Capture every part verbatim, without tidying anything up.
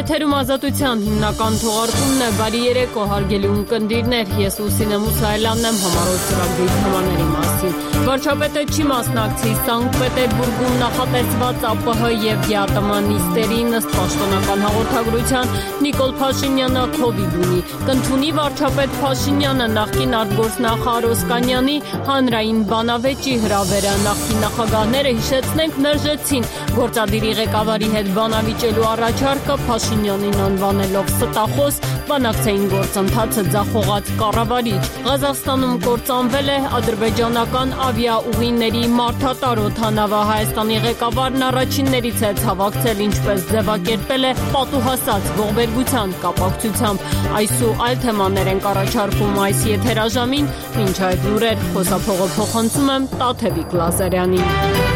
Եթերում ազատության հիմնական թողարկումն է։ Բարի երեկո, հարգելի ունկնդիրներ, ես Լուսինե Մուսայելյանն եմ, համառոտ ծրագրի թեմաների մասին։ Վարչապետը չի մասնակցի Սանկտ Պետերբուրգում նախատեսված ԱՊՀ եւ ԵԱՏՄ նիստերին, ըստ պաշտոնական հաղորդագրության Նիկոլ Փաշինյանը քովիդ ունի։ Կընդունի վարչապետ Փաշինյանը նախկին արտգործնախարար Օսկանյանի հանրային բանավեճի հրավերը։ Նախկին նախագահները, հիշեցնենք, մերժեցին գործադիրի ղեկավարի հետ բանավիճելու առաջարկը, Փաշինյանին անվանելով ստախոս, բանակցային գործընթացը ձախողած կառավարիչ։ Ղազախստանում կործանվել է ադրբեջանական ավիաուղիների մարդատար օդանավը։ Հայաստանի ղեկավարն առաջիններից է ցավակցել, ինչպես ձևակերպել է պատուհասած ողբերգության կապակցությամբ։ Այս ու այլ թեմաներ են առաջարկում այս եթերաժամին, մինչ այդ լուրեր խոսափողը փոխանցում եմ Տաթևիկ Լազարյանին։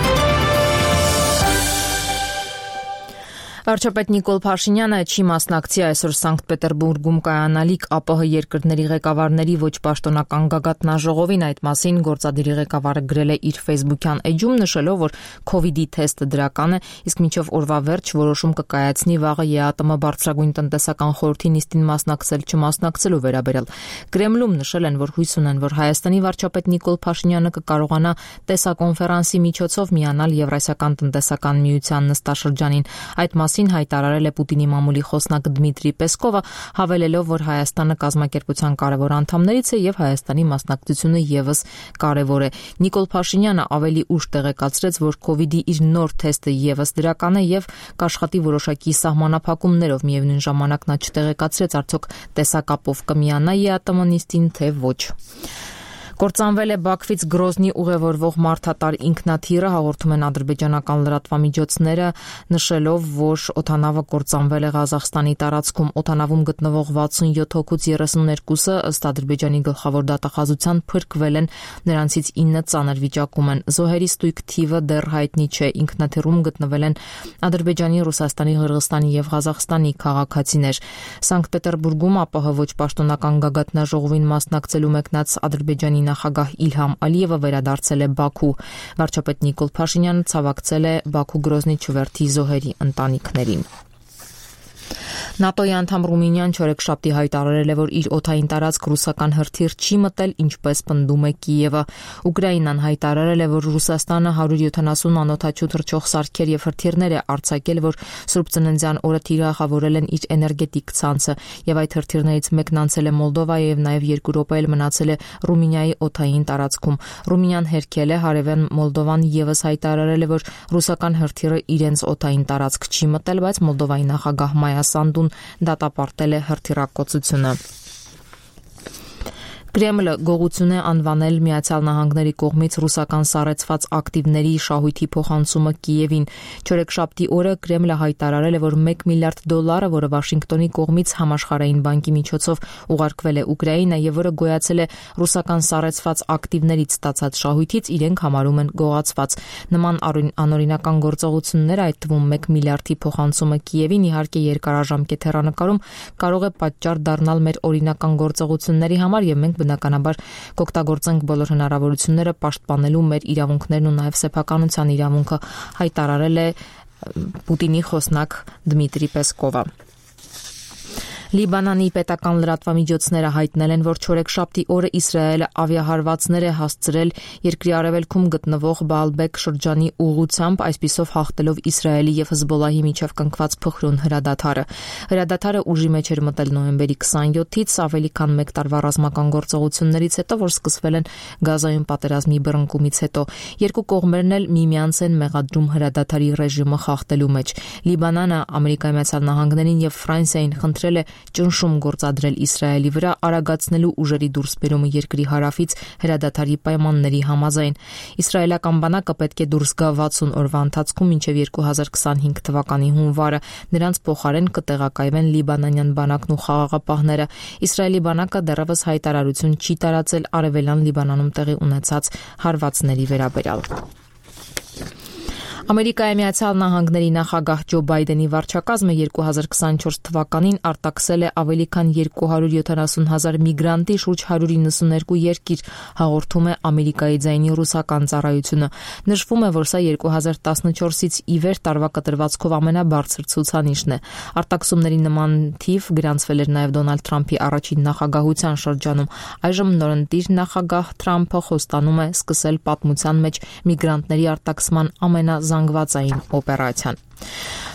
Վարչապետ Նիկոլ Փաշինյանը չի մասնակցի այսօր Սանկտ Պետերբուրգում կայանալիք ԱՊՀ երկրների ղեկավարների ոչ պաշտոնական գագաթնաժողովին։ Այդ մասին գործադիրի ղեկավարը գրել է իր ֆեյսբուքյան էջում, նշելով, որ քովիդի թեստը դրական է, իսկ մինչև օրվա վերջ որոշում կկայացնի վաղը ԵԱՏՄ բարձրագույն տնտեսական խորհրդի նիստին մասնակցել չմասնակցելու վերաբերյալ։ Կրեմլում նշել են, որ հույս ունեն, որ Հայաստանի վարչապետ Նիկոլ Փաշինյանը կկարողանա տեսակոնֆերանսի միջոցով միանալ Եվրասիական տնտեսական միության նստաշրջանին։ Այդ մասին հայտարարել է Պուտինի մամուլի խոսնակ Դմիտրի Պեսկովը, հավելելով, որ Հայաստանը կազմակերպության կարևոր անդամներից է եւ Հայաստանի մասնակցությունը եւս կարևոր է։ Նիկոլ Փաշինյանը ավելի ուշ տեղեկացրեց, որ քովիդի իր նոր թեստը եւս դրական է եւ կաշխատի որոշակի սահմանափակումներով։ Միևնույն ժամանակ նա չտեղեկացրեց, արդյոք տեսակապով կմիանա ԵԱՏՄ նիստին, թե ոչ։ Կործանվել է Բաքվից Գրոզնի ուղևորվող մարդատար ինքնաթիռը, հաղորդում են ադրբեջանական լրատվամիջոցները, նշելով, որ օդանավը կործանվել է Ղազախստանի տարածքում։ Օդանավում գտնվող վաթսունյոթ հոգուց երեսուններկուսը, ըստ ադրբեջանի գլխավոր դատախազության, փրկվել են, նրանցից ինը ծանր վիճակում են։ Զոհերի ստույգ թիվը դեռ հայտնի չէ։ Ինքնաթիռում գտնվել են Ադրբեջանի, Ռուսաստանի, Ղրղստանի եւ Ղազախստանի քաղաքացիներ։ Սանկտ Պետերբուրգում ԱՊՀ ոչ պաշտոնական գագաթնաժողովին մասնակցելու մեկնած Ադրբեջանի նախագահ Իլհամ Ալիևը վերադարձել է Բաքու։ Վարչապետ Նիկոլ Փաշինյանը ցավակցել է Բաքու Գրոզնի չվերթի զոհերի ընտանիքներին։ ՆԱՏՕ-ի անդամ Ռումինիան չորեքշաբթի հայտարարել է, որ իր օդային տարածք ռուսական հրթիռ չի մտել, ինչպես պնդում է Կիևը։ Ուկրաինան հայտարարել է, որ Ռուսաստանը հարյուր յոթանասուն անօդաչու թռչող սարքեր եւ հրթիռներ է արձակել, որ Սուրբ Ծննդյան օրը թիրախավորել են իր էներգետիկ ցանցը, եւ այդ հրթիռներից մեկն անցել է Մոլդովայի եւ նաեւ երկու րոպե էլ մնացել է Ռումինիայի օդային տարածքում։ Ռումինիան հերքել է, հարևան Մոլդովան եւս հայտարարել է, որ ռուսական հրթիռը իրենց օդային տարածք չի մտել, բայց Մոլդովայի նախագահ Մայա Սանդուն դատապարտել է հրթիռակոծությունը։ Կրեմլը գողություն է անվանել Միացյալ Նահանգների կողմից ռուսական սառեցված ակտիվների շահույթի փոխանցումը Կիևին։ Չորեքշաբթի օրը Կրեմլը հայտարարել է, որ մեկ միլիարդ դոլարը, որը Վաշինգտոնի կողմից Համաշխարհային բանկի միջոցով ուղարկվել է Ուկրաինա եւ որը գոյացել է ռուսական սառեցված ակտիվներից ստացած շահույթից, իրենք համարում են գողացված։ Նման անօրինական գործողությունները, այդ թվում մեկ միլիարդի փոխանցումը Կիևին, իհարկե երկարաժամկետ հեռանկարում կարող է պատճառ դառնալ մեր օրինական գործողությունների համար եւ մենք բնականաբար կօգտագործենք բոլոր հնարավորությունները պաշտպանելու մեր իրավունքներն ու նաև սեփականության իրավունքը, հայտարարել է Պուտինի խոսնակ Դմիտրի Պեսկովը։ Լիբանանի պետական լրատվամիջոցները հայտնել են, որ չորեքշաբթի օրը Իսրայելը ավիահարվածներ է հասցրել երկրի արևելքում գտնվող Բաալբեկ շրջանի ուղղությամբ, այսպիսով հաղթելով Իսրայելի եւ Հզբոլահի միջև կնքված փխրուն հրադադարը։ Հրադադարը ուժի մեջ էր մտել նոյեմբերի քսանյոթից, ավելի քան մեկ տարվա ռազմական գործողություններից հետո, որ սկսվել են Գազայում պատերազմի բռնկումից հետո։ Երկու կողմերն էլ միմյանց են մեղադրում հրադադարի ռեժիմը խախտելու մեջ։ Լիբանանը Ամերիկայի Միացյալ Նահանգներին եւ Ֆրանսիային խնդրել է ճնշում գործադրել Իսրայելի վրա, արագացնելու ուժերի դուրսբերումը երկրի հարավից հրադադարի պայմանների համաձայն։ Իսրայելական բանակը պետք է դուրս գա վաթսուն օրվա ընթացքում մինչև երկու հազար քսանհինգ թվականի հունվարը։ Նրանց փոխարեն կտեղակայվեն լիբանանյան բանակն ու խաղաղապահները։ Իսրայելի բանակը դեռևս հայտարարություն չի տարածել արևելյան Լիբանանում տեղի ունեցած հարվածների վերաբերյալ։ Ամերիկայի Միացյալ Նահանգների նախագահ Ջո Բայդենի վարչակազմը երկու հազար քսանչորս թվականին արտաքսել է ավելի քան երկու հարյուր յոթանասուն հազար միգրանտի շուրջ հարյուր իննսուններկու երկիր, հաղորդում է Ամերիկայի ձայնի ռուսական ծառայությունը։ Նշվում է, որ սա երկու հազար տասնչորսից ի վեր տարվա կտրվածքով ամենաբարձր ցուցանիշն է։ Արտաքսումների նման թիվ գրանցվել էր նաև Դոնալդ Թրամփի առաջին նախագահության շրջանում։ Այժմ նորընտիր նախագահ Թրամփը խոստանում է սկսել պատմության մեջ միգրանտների արտաքսման ամենազանգվածային օպերացիան։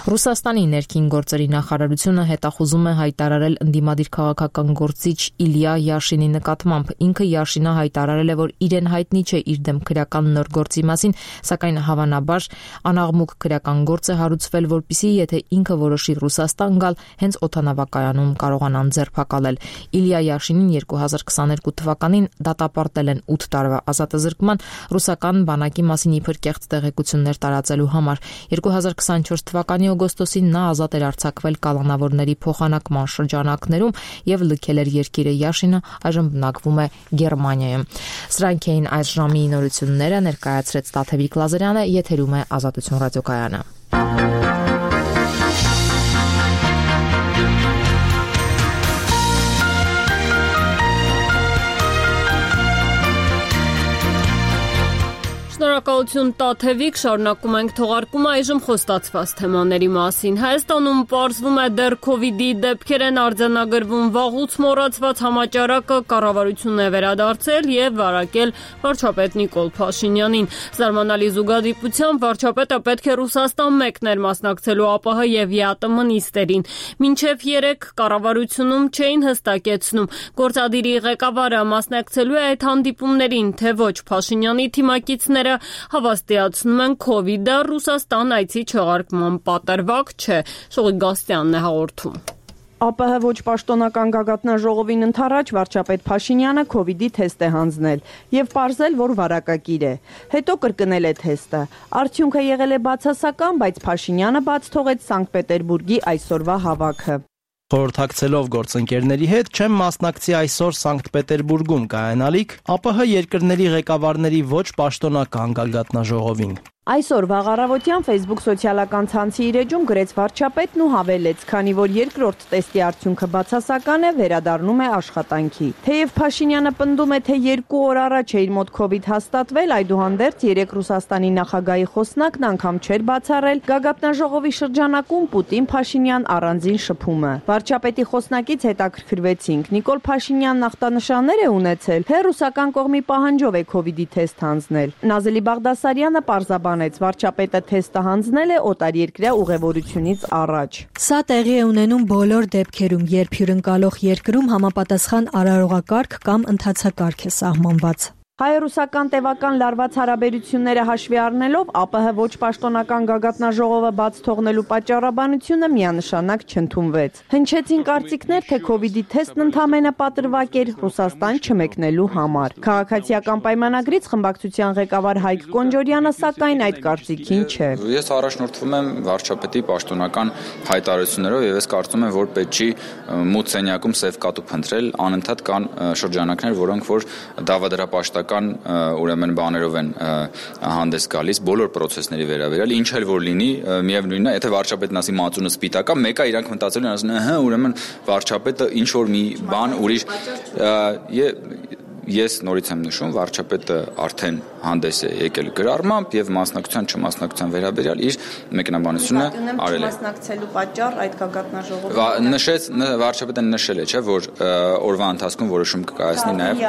Ռուսաստանի ներքին գործերի նախարարությունը հետախուզում է հայտարարել ընդդիմադիր քաղաքական գործիչ Իլյա Յաշինի նկատմամբ։ Ինքը Յաշինը հայտարարել է, որ իրեն հայտնի չէ իր դեմ քրեական նոր գործի մասին, սակայն հավանաբար անաղմուկ քրեական գործ է հարուցվել, որպեսզի եթե ինքը որոշի Ռուսաստան գալ, հենց օդանավակայանում կարողանան ձերբակալել։ Իլյա Յաշինին երկու հազար քսաներկու թվականին դատապարտել են ութ տարվա ազատազրկման ռուսական բանակի մասին իբր կեղծ տեղեկություններ տարածելու համար։ երկու հազար քսանչորս թվականի օգոստոսին նա ազատ էր արձակվել կալանավորների փոխանակման շրջանակներում եւ լքել էր երկիրը։ Յաշինը այժմ բնակվում է Գերմանիայում։ Սրանք էին այս ժամի նորությունները, ներկայացրեց Տաթևիկ Լազարյանը, եթերում է Ազատություն ռադիոկայանը։ Շնորհակալություն Տաթևիկ, շարունակում ենք թողարկումը այժմ խոստացված թեմաների մասին։ Հայաստանում պարզվում է դեռ քովիդի դեպքեր են արձանագրվում, վաղուց մոռացված համաճարակը կառավարությունն է վերադարձել եւ վարակել վարչապետ Նիկոլ Փաշինյանին։ Զարմանալի զուգադիպությամբ վարչապետը պետք է Ռուսաստան մեկներ մասնակցելու ԱՊՀ եւ ԵԱՏՄ նիստերին։ Մինչեւ երեք կառավարությունում չէին հստակեցնում գործադիրի ղեկավարը մասնակցելու է այդ հանդիպումներին, թե ոչ։ Փաշինյանի թիմակիցները հավաստիացնում են քովիդը Ռուսաստան այցի չեղարկման պատրվակ չէ։ Շողիկ Գաստյանն է հաղորդում։ ԱՊՀ ոչ պաշտոնական գագաթնաժողովին ընդառաջ վարչապետ Փաշինյանը քովիդի թեստ է հանձնել եւ պարզել, որ վարակակիր է։ Հետո կրկնել է թեստը։ Արդյունքը եղել է բացասական, բայց Փաշինյանը բաց թողեց Սանկտ Պետերբուրգի այսօրվա հավաքը։ Խորհրդակցելով գործընկերների հետ չեմ մասնակցի այսօր Սանկտ Պետերբուրգում կայանալիք ԱՊՀ երկրների ղեկավարների ոչ պաշտոնական գագաթնաժողովին։ Այսօր վաղ առավոտյան Facebook սոցիալական ցանցի իր էջում գրեց վարչապետն ու հավելեց, քանի որ երկրորդ տեստի արդյունքը բացասական է, վերադառնում է աշխատանքի։ Թեև Փաշինյանը պնդում է, թե երկու օր առաջ է իր մոտ քովիդ հաստատվել, այդուհանդերձ երեք Ռուսաստանի նախագահի խոսնակն անգամ չէր բացառել գագաթնաժողովի շրջանակում Պուտին-Փաշինյան առանձին շփումը։ Վարչապետի խոսնակից հետաքրքրվեցինք. Նիկոլ Փաշինյանն ախտանշաններ է ունեցել, թե ռուսական կողմի պահանջով է քովիդի թեստ հանձնել։ Նազելի Բաղդասարյանը պարզաբան վարչապետը թեստը հանձնել է օտարերկրյա ուղևորությունից առաջ։ Սա տեղի է ունենում բոլոր դեպքերում, երբ հյուրընկալող երկրում համապատասխան արարողակարգ կամ ընթացակարգ է սահմանված։ Հայ-ռուսական տևական լարված հարաբերությունները հաշվի առնելով ԱՊՀ ոչ պաշտոնական գագաթնաժողովը բաց թողնելու պատճառաբանությունը միանշանակ չընդունվեց։ Հնչեցին կարծիքներ, թե քովիդի թեստն ընդամենը պատրվակ էր Ռուսաստան չմեկնելու համար։ Քաղաքացիական պայմանագրից խմբակցության ղեկավար Հայկ Կոնջորյանը սակայն այդ կարծիքին չէ։ Ես առաջնորդվում եմ վարչապետի պաշտոնական հայտարարություններով եւ ես կարծում եմ, որ պետք չի մութ սենյակում սև կատու փնտրել, անընդհատ կան շրջանակներ, որոնք որ դավադրապաշտ ուրեմն բաներով են հանդես գալիս բոլոր process-ների վերաբերյալ, ինչ էլ որ լինի, միևնույնն է, եթե վարչապետն ասի մածունը սպիտակ է, մեկը իրանք մտածելու են, ասում են, հա, ուրեմն վարչապետը ինչ որ մի բան ուրիշ ես նորից եմ նշում, վարչապետը արդեն հանդես է եկել գրառմամբ եւ մասնակցության չմասնակցության վերաբերյալ իր մեկնաբանությունը արել է։ Մասնակցելու պատճառ այդ գագաթնաժողովը նշեց վարչապետը նշել է, չէ, որ օրվա ընթացքում որոշում կկայացնի նաեւ։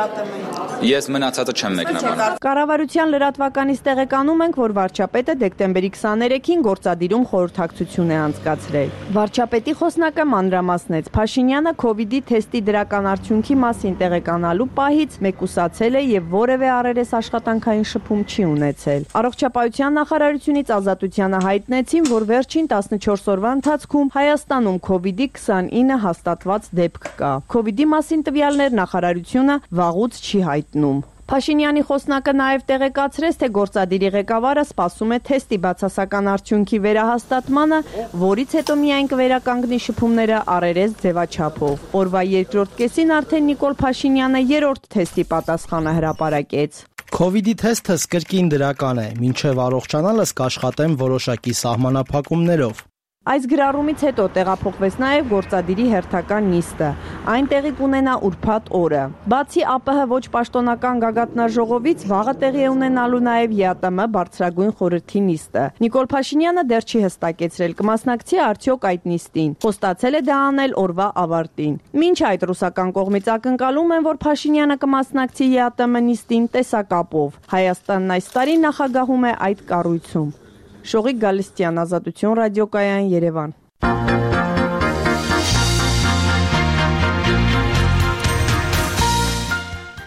Ես մնացածը չեմ մեկնաբանում։ Կառավարության լրատվականից տեղեկանում ենք, որ վարչապետը դեկտեմբերի քսաներեքին գործադիրում խորհրդակցություն է անցկացրել։ Վարչապետի խոսնակը մանրամասնեց. Փաշինյանը քովիդի թեստի դրական արդյունքի մասին տեղեկանալու պահից մեկուսացել է եւ որևէ առերես աշխատանքային շփում չի ունեցել։ Առողջապահության նախարարությունից Ազատությանը հայտնեցին, որ վերջին տասնչորս օրվա ընթացքում Հայաստանում քովիդի քսանինը հաստատված դեպք կա։ Քովիդի մասին տվյալներ նախարարությունը վաղուց չի հայտնում։ Փաշինյանի խոսնակը նաև տեղեկացրեց, թե գործադիրի ղեկավարը սպասում է թեստի բացասական արդյունքի վերահաստատմանը, որից հետո միայն կվերականգնի շփումները առերես ձևաչափով։ Օրվա երկրորդ կեսին արդեն Նիկոլ Փաշինյանը երրորդ թեստի պատասխանը հրապարակեց։ Քովիդի թեստը կրկին դրական է, մինչև առողջանալս կաշխատեմ որոշակի սահմանափակումներով։ Այս գրառումից հետո տեղափոխվեց նաև գործադիրի հերթական նիստը։ Այն տեղի կունենա ուրբաթ օրը։ Բացի ԱՊՀ ոչ պաշտոնական գագաթնաժողովից վաղը տեղի է ունենալու նաև ԵԱՏՄ բարձրագույն խորհրդի նիստը։ Նիկոլ Փաշինյանը դեռ չի հստակեցրել կմասնակցի արդյոք այդ նիստին։ Խոստացել է դա անել օրվա ավարտին։ Մինչ այդ ռուսական կողմից ակնկալում են, որ Փաշինյանը կմասնակցի ԵԱՏՄ նիստին տեսակապով։ Հայաստանն այս տարի նախագահում է այդ կառույցում։ Շողիկ Գալստյան, Ազատություն ռադիոկայան, Երևան։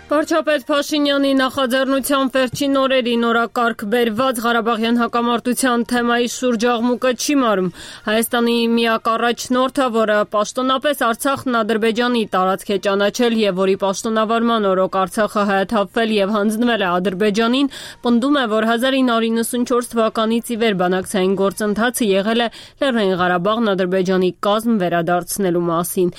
Վարչապետ Փաշինյանի նախաձեռնությամբ վերջին օրերին օրակարգ բերված Ղարաբաղյան հակամարտության թեմայի շուրջ աղմուկը չի մարում։ Հայաստանի միակ առաջնորդը, որը պաշտոնապես Արցախն Ադրբեջանի տարածք է ճանաչել եւ որի պաշտոնավարման օրոք Արցախը հայաթափվել եւ հանձնվել է Ադրբեջանին, պնդում է, որ հազար ինը հարյուր իննսունչորս թվականից ի վեր բանակցային գործընթացը եղել է Լեռնային Ղարաբաղն Ադրբեջանի կազմ վերադարձնելու մասին։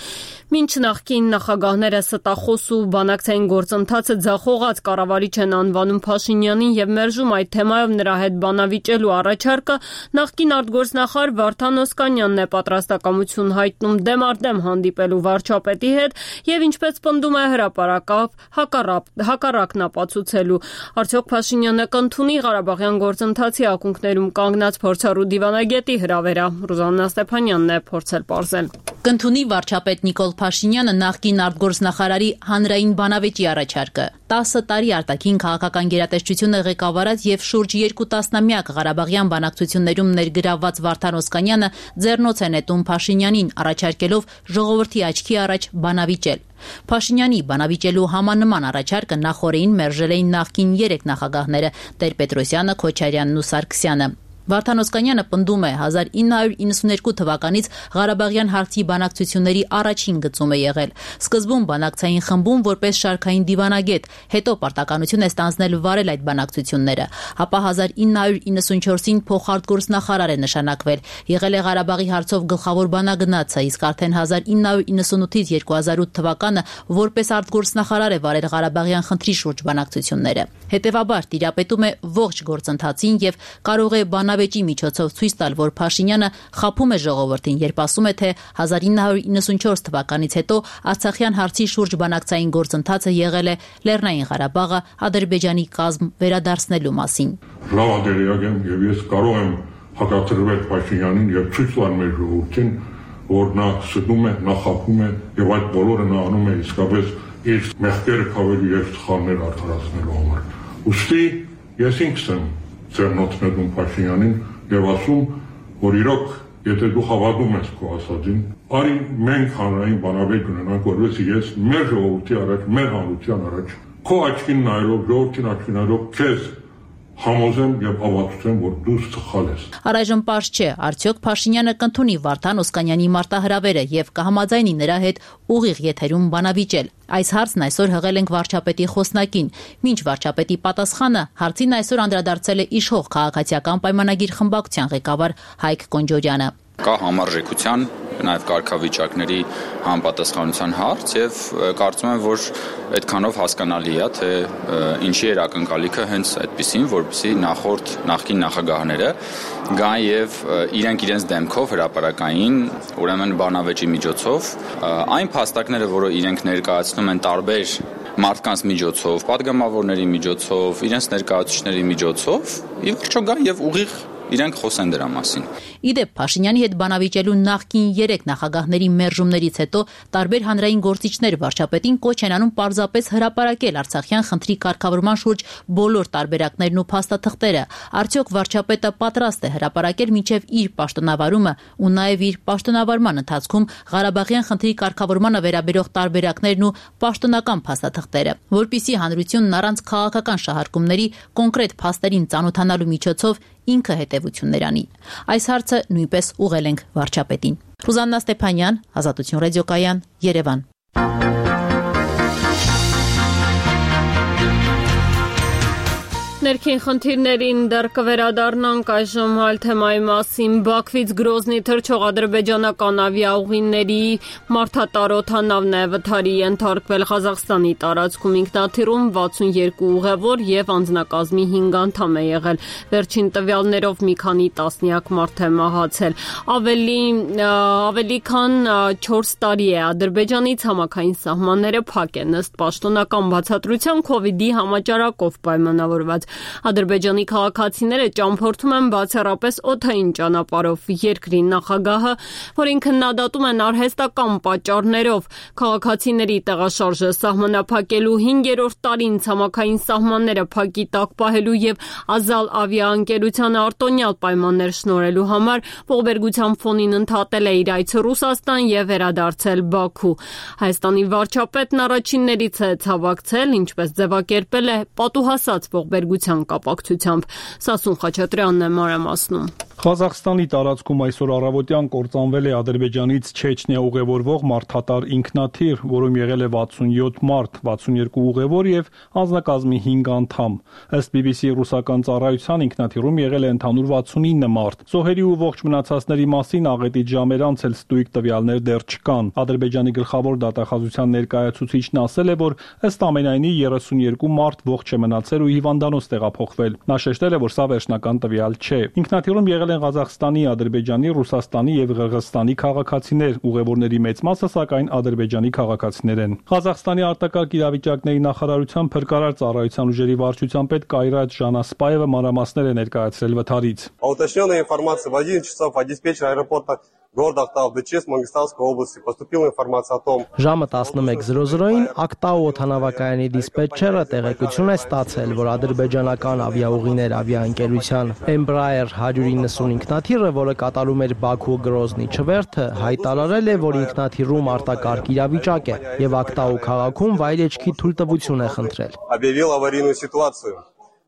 Մինչ նախկին նախագահները ստախոս ու բանակցային գործընթացը ձախողած կառավարիչ են անվանում Փաշինյանին եւ մերժում այդ թեմայով նրա հետ բանավիճելու առաջարկը, նախկին արտգործնախարար Վարդան Օսկանյանն է պատրաստակամություն հայտնում դեմ առ դեմ հանդիպելու վարչապետի հետ եւ ինչպես պնդում է հրապարակավ հակառակն ապացուցելու։ Արդյոք Փաշինյանը կընդունի Ղարաբաղյան գործընթացի ակունքներում կանգնած փորձառու դիվանագետի հրավերա։ Ռուզաննա Ստեփանյանն է փորձել պարզել։ Կընդունի վարչապետ Նիկոլ Փաշինյանը նախկին արտգործնախարարի հանրային բանավեճի առաջարկը։ տասը տարի արտաքին քաղաքական գերատեսչությունը ղեկավարած եւ շուրջ երկու տասնամյակ Ղարաբաղյան բանակցություններում ներգրավված Վարդան Օսկանյանը ձեռնոց է նետում Փաշինյանին առաջարկելով ժողովրդի աչքի առաջ բանավիճել։ Փաշինյանի բանավիճելու համանման առաջարկը նախորդին մերժել էին նախկին երեք նախագահները՝ Տեր-Պետրոսյանը, Քոչարյանն ու Սարգսյանը։ Վարդան Օսկանյանը պնդում է հազար ինը հարյուր իննսուներկու թվականից Ղարաբաղյան հարցի բանակցությունների առաջին գծում է եղել։ Սկզբում բանակցային խմբում որպես շարքային դիվանագետ, հետո պարտականություն է ստանձնել վարել այդ բանակցությունները, ապա հազար ինը հարյուր իննսունչորսին փոխարտգործնախարար է նշանակվել, եղել է Ղարաբաղի հարցով գլխավոր բանագնացը, իսկ արդեն հազար ինը հարյուր իննսունութից երկու հազար ութ թվականը որպես արտգործնախարար է վարել Ղարաբաղյան խնդրի շուրջ բանակցությունները։ Հետևաբար տիրապետում է ողջ գործընթացին եւ կարող է բանավեճի միջոցով ցույց տալ, որ Փաշինյանը խաբում է ժողովրդին, երբ ասում է, թե հազար ինը հարյուր իննսունչորս թվականից հետո Արցախյան հարցի շուրջ բանակցային գործընթացը եղել է Լեռնային Ղարաբաղը Ադրբեջանի կազմ վերադարձնելու մասին։ Լավադերիակ եմ եւ ես կարող եմ հակադրվել Փաշինյանին եւ ցույց տալ մեր ժողովրդին, որ նա սդում է, նա խաբում է եւ այդ բոլորը նա անում է իսկապես իր մեղքերը քավելու եւ սխալներ արդարացնելու համար։ Ուստի ես ինքս եմ ձեռնոցնետում Փաշինյանին եւ ասում, որ իրոք, եթե դու հավատում ես քո ասածին, արի մենք հանրային բանավեճ ունենանք, որովհետեւ ես մեր ժողովրդի առաջ, մեր հանրության առաջ, քո աչքին նայելով, ժողովրդին աչքին նայելով, քեզ համոզեմ եւ ավարտեմ, որ դու սխալ ես։ Առայժմ պարզ չէ, արդյոք Փաշինյանը կընդունի Վարդան Օսկանյանի մարտահրավերը եւ կհամաձայնի նրա հետ ուղիղ եթերում բանավիճել։ Այս հարցն այսօր հղել ենք վարչապետի խոսնակին։ Մինչ վարչապետի պատասխանը հարցին այսօր անդրադարձել է իշխող քաղաքացիական պայմանագիր խմբակցության ղեկավար Հայկ Կոնջորյանը։ Կա համարժեքության, նաև կարգավիճակների համապատասխանության հարց եւ կարծում եմ, որ այդքանով հասկանալի է, թե ինչի էր ակնկալիքը հենց այդպեսին, որպեսզի նախորդ նախկին նախագահները գան եւ իրենք իրենց դեմքով հրապարակային, ուրեմն բանավեճի միջոցով այն փաստարկները, որը իրենք ներկայացնում են տարբեր մարդկանց միջոցով, падգամավորների միջոցով, իրենց ներկայացուցիչների միջոցով, ի վերջո գան եւ ուղիղ իրենք խոսեն դրա մասին։ Իդեպ Փաշինյանի հետ բանավիճելու նախկին երեք նախագահների մերժումներից հետո տարբեր հանրային գործիչներ վարչապետին կոչ են անում պարզապես հրապարակել Արցախյան խնդրի կարգավորման շուրջ բոլոր տարբերակներն ու փաստաթղթերը։ Արդյոք վարչապետը պատրաստ է հրապարակել մինչև իր պաշտոնավարումը ու նաև իր պաշտոնավարման ընթացքում Ղարաբաղյան խնդրի կարգավորմանը վերաբերող տարբերակներն ու պաշտոնական փաստաթղթերը, որպիսի հանրությունն առանց քաղաքական շահարկումների կոնկրետ փաստերին ծանոթանալու միջոցով ինքը հետևություններ անի։ Այս հարցը նույնպես ուղղել ենք վարչապետին։ Ռուզաննա Ստեփանյան, Ազատություն ռադիոկայան, Երևան։ Ներքին խնդիրներին դեռ կվերադառնանք այժմ այլ թեմայի մասին։ Բաքվից Գրոզնի թռչող ադրբեջանական ավիաուղիների մարդատար օդանավն է վթարի ենթարկվել Ղազախստանի տարածքում։ Ինքնաթիռում վաթսունյոթ ուղևոր եւ անձնակազմի հինգ անդամ է եղել։ Վերջին տվյալներով մի քանի տասնյակ մարդ է մահացել։ Ավելի ավելի քան չորս տարի է Ադրբեջանի ցամաքային սահմանները փակ են ըստ պաշտոնական բացատրության քովիդի համաճարակով պայմանավորված։ Ադրբեջանի քաղաքացիները ճամփորդում են բացառապես օդային ճանապարհով։ Երկրի նախագահը, որին քննադատում են արհեստական պատճառներով, քաղաքացիների տեղաշարժը սահմանափակելու հինգերորդ տարին ցամաքային սահմանները փակի տակ պահելու եւ Ազալ ավիաընկերությանը արտոնյալ պայմաններ շնորհելու համար ողբերգության ֆոնին ընդհատել է իր այցը Ռուսաստան եւ վերադարձել Բաքու։ Հայաստանի վարչապետն առաջիններից է ցավակցել, ինչպես ձևակերպել է պատուհասած ողբերգության կապակցությամբ։ Սասուն Խաչատրյանն է մանրամասնում։ Ղազախստանի տարածքում այսօր առավոտյան կործանվել է Ադրբեջանից Չեչնիա ուղևորվող մարդատար ինքնաթիռ, որում եղել է վաթսունյոթ մարդ, վաթսունյոթ ուղևոր եւ անձնակազմի հինգ անդամ։ Ըստ բի բի սի ռուսական ծառայության ինքնաթիռում եղել է ընդհանուր վաթսունինը մարդ։ Զոհերի ու ողջ մնացածների մասին աղետից ժամեր անց էլ ստույգ տվյալներ դեռ չկան։ Ադրբեջանի գլխավոր դատախազության ներկայացուցիչն ասել է, որ ըստ ամենայնի երեսունյոթ մարդ ողջ է մնացել ու հիվանդանոց տեղափոխվել։ Նա շեշտել է, որ սա վերջնական տվյալ չէ։ Ինքնաթիռում եղել են Ղազախստանի, Ադրբեջանի, Ռուսաստանի եւ Ղրղըզստանի քաղաքացիներ, ուղևորների մեծ մասը սակայն ադրբեջանի քաղաքացիներ են։ Ղազախստանի արտակարգ իրավիճակների նախարարության փրկարար ծառայության ուժերի վարչության պետ Կայրատ Ժանասպաևը մանրամասներ է ներկայացրել վթարից։ Уточненная информация в одиннадцать часов от диспетчера аэропорта города Актау-Дыческ Мангистауской области поступила информация о том, Ժամը տասնմեկ զրո զրոին Ակտաու օդանավակայանի դիսպետչերը տեղեկություն է ստացել, որ ադրբեջանական ավիաուղիներ ավիաընկերության Embraer one ninety ինքնաթիռը, որը կատարում էր Բաքու Գրոզնի չվերթը, հայտարարել է, որ ինքնաթիռում արտակարգ իրավիճակ է եւ Ակտաու քաղաքում վայրեջքի թույլտվություն է խնդրել։ объявил аварийную ситуацию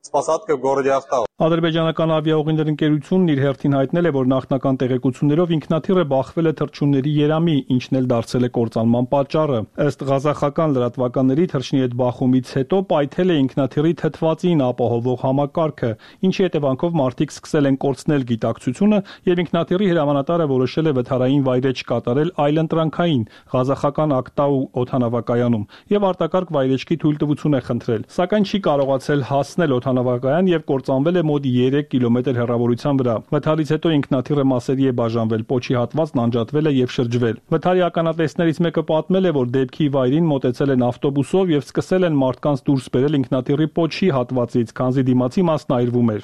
с посадкой в городе Актау. Ադրբեջանական ավիաուղիներ ընկերությունն իր հերթին հայտնել է, որ նախնական տեղեկություններով ինքնաթիռը բախվել է թռչունների երամի, ինչն էլ դարձել է կործանման պատճառը։ Ըստ ղազախական լրատվականների թռչնի հետ բախումից հետո պայթել է ինքնաթիռի թթվածին ապահովող համակարգը, ինչի հետևանքով մարդիկ սկսել են կորցնել գիտակցությունը եւ ինքնաթիռի հրամանատարը որոշել է վթարային վայրեջք կատարել այլընտրանքային ղազախական Ակտաու օդանավակայանում եւ արտակարգ վայրեջքի թույլտվություն է խնդրել, սակայն չի կարողացել հասնել օդանավակայան եւ կործանվել է մոտ երեք կիլոմետր հեռավորության վրա։ Վթարից հետո ինքնաթիռը մասերի է բաժանվել, պոչի հատվածն անջատվել է եւ շրջվել։ Վթարի ականատեսներից մեկը պատմել է, որ դեպքի վայրին մոտեցել են ավտոբուսով եւ սկսել են մարդկանց դուրս բերել ինքնաթիռի պոչի հատվածից, քանզի դիմացի մասն այրվում էր։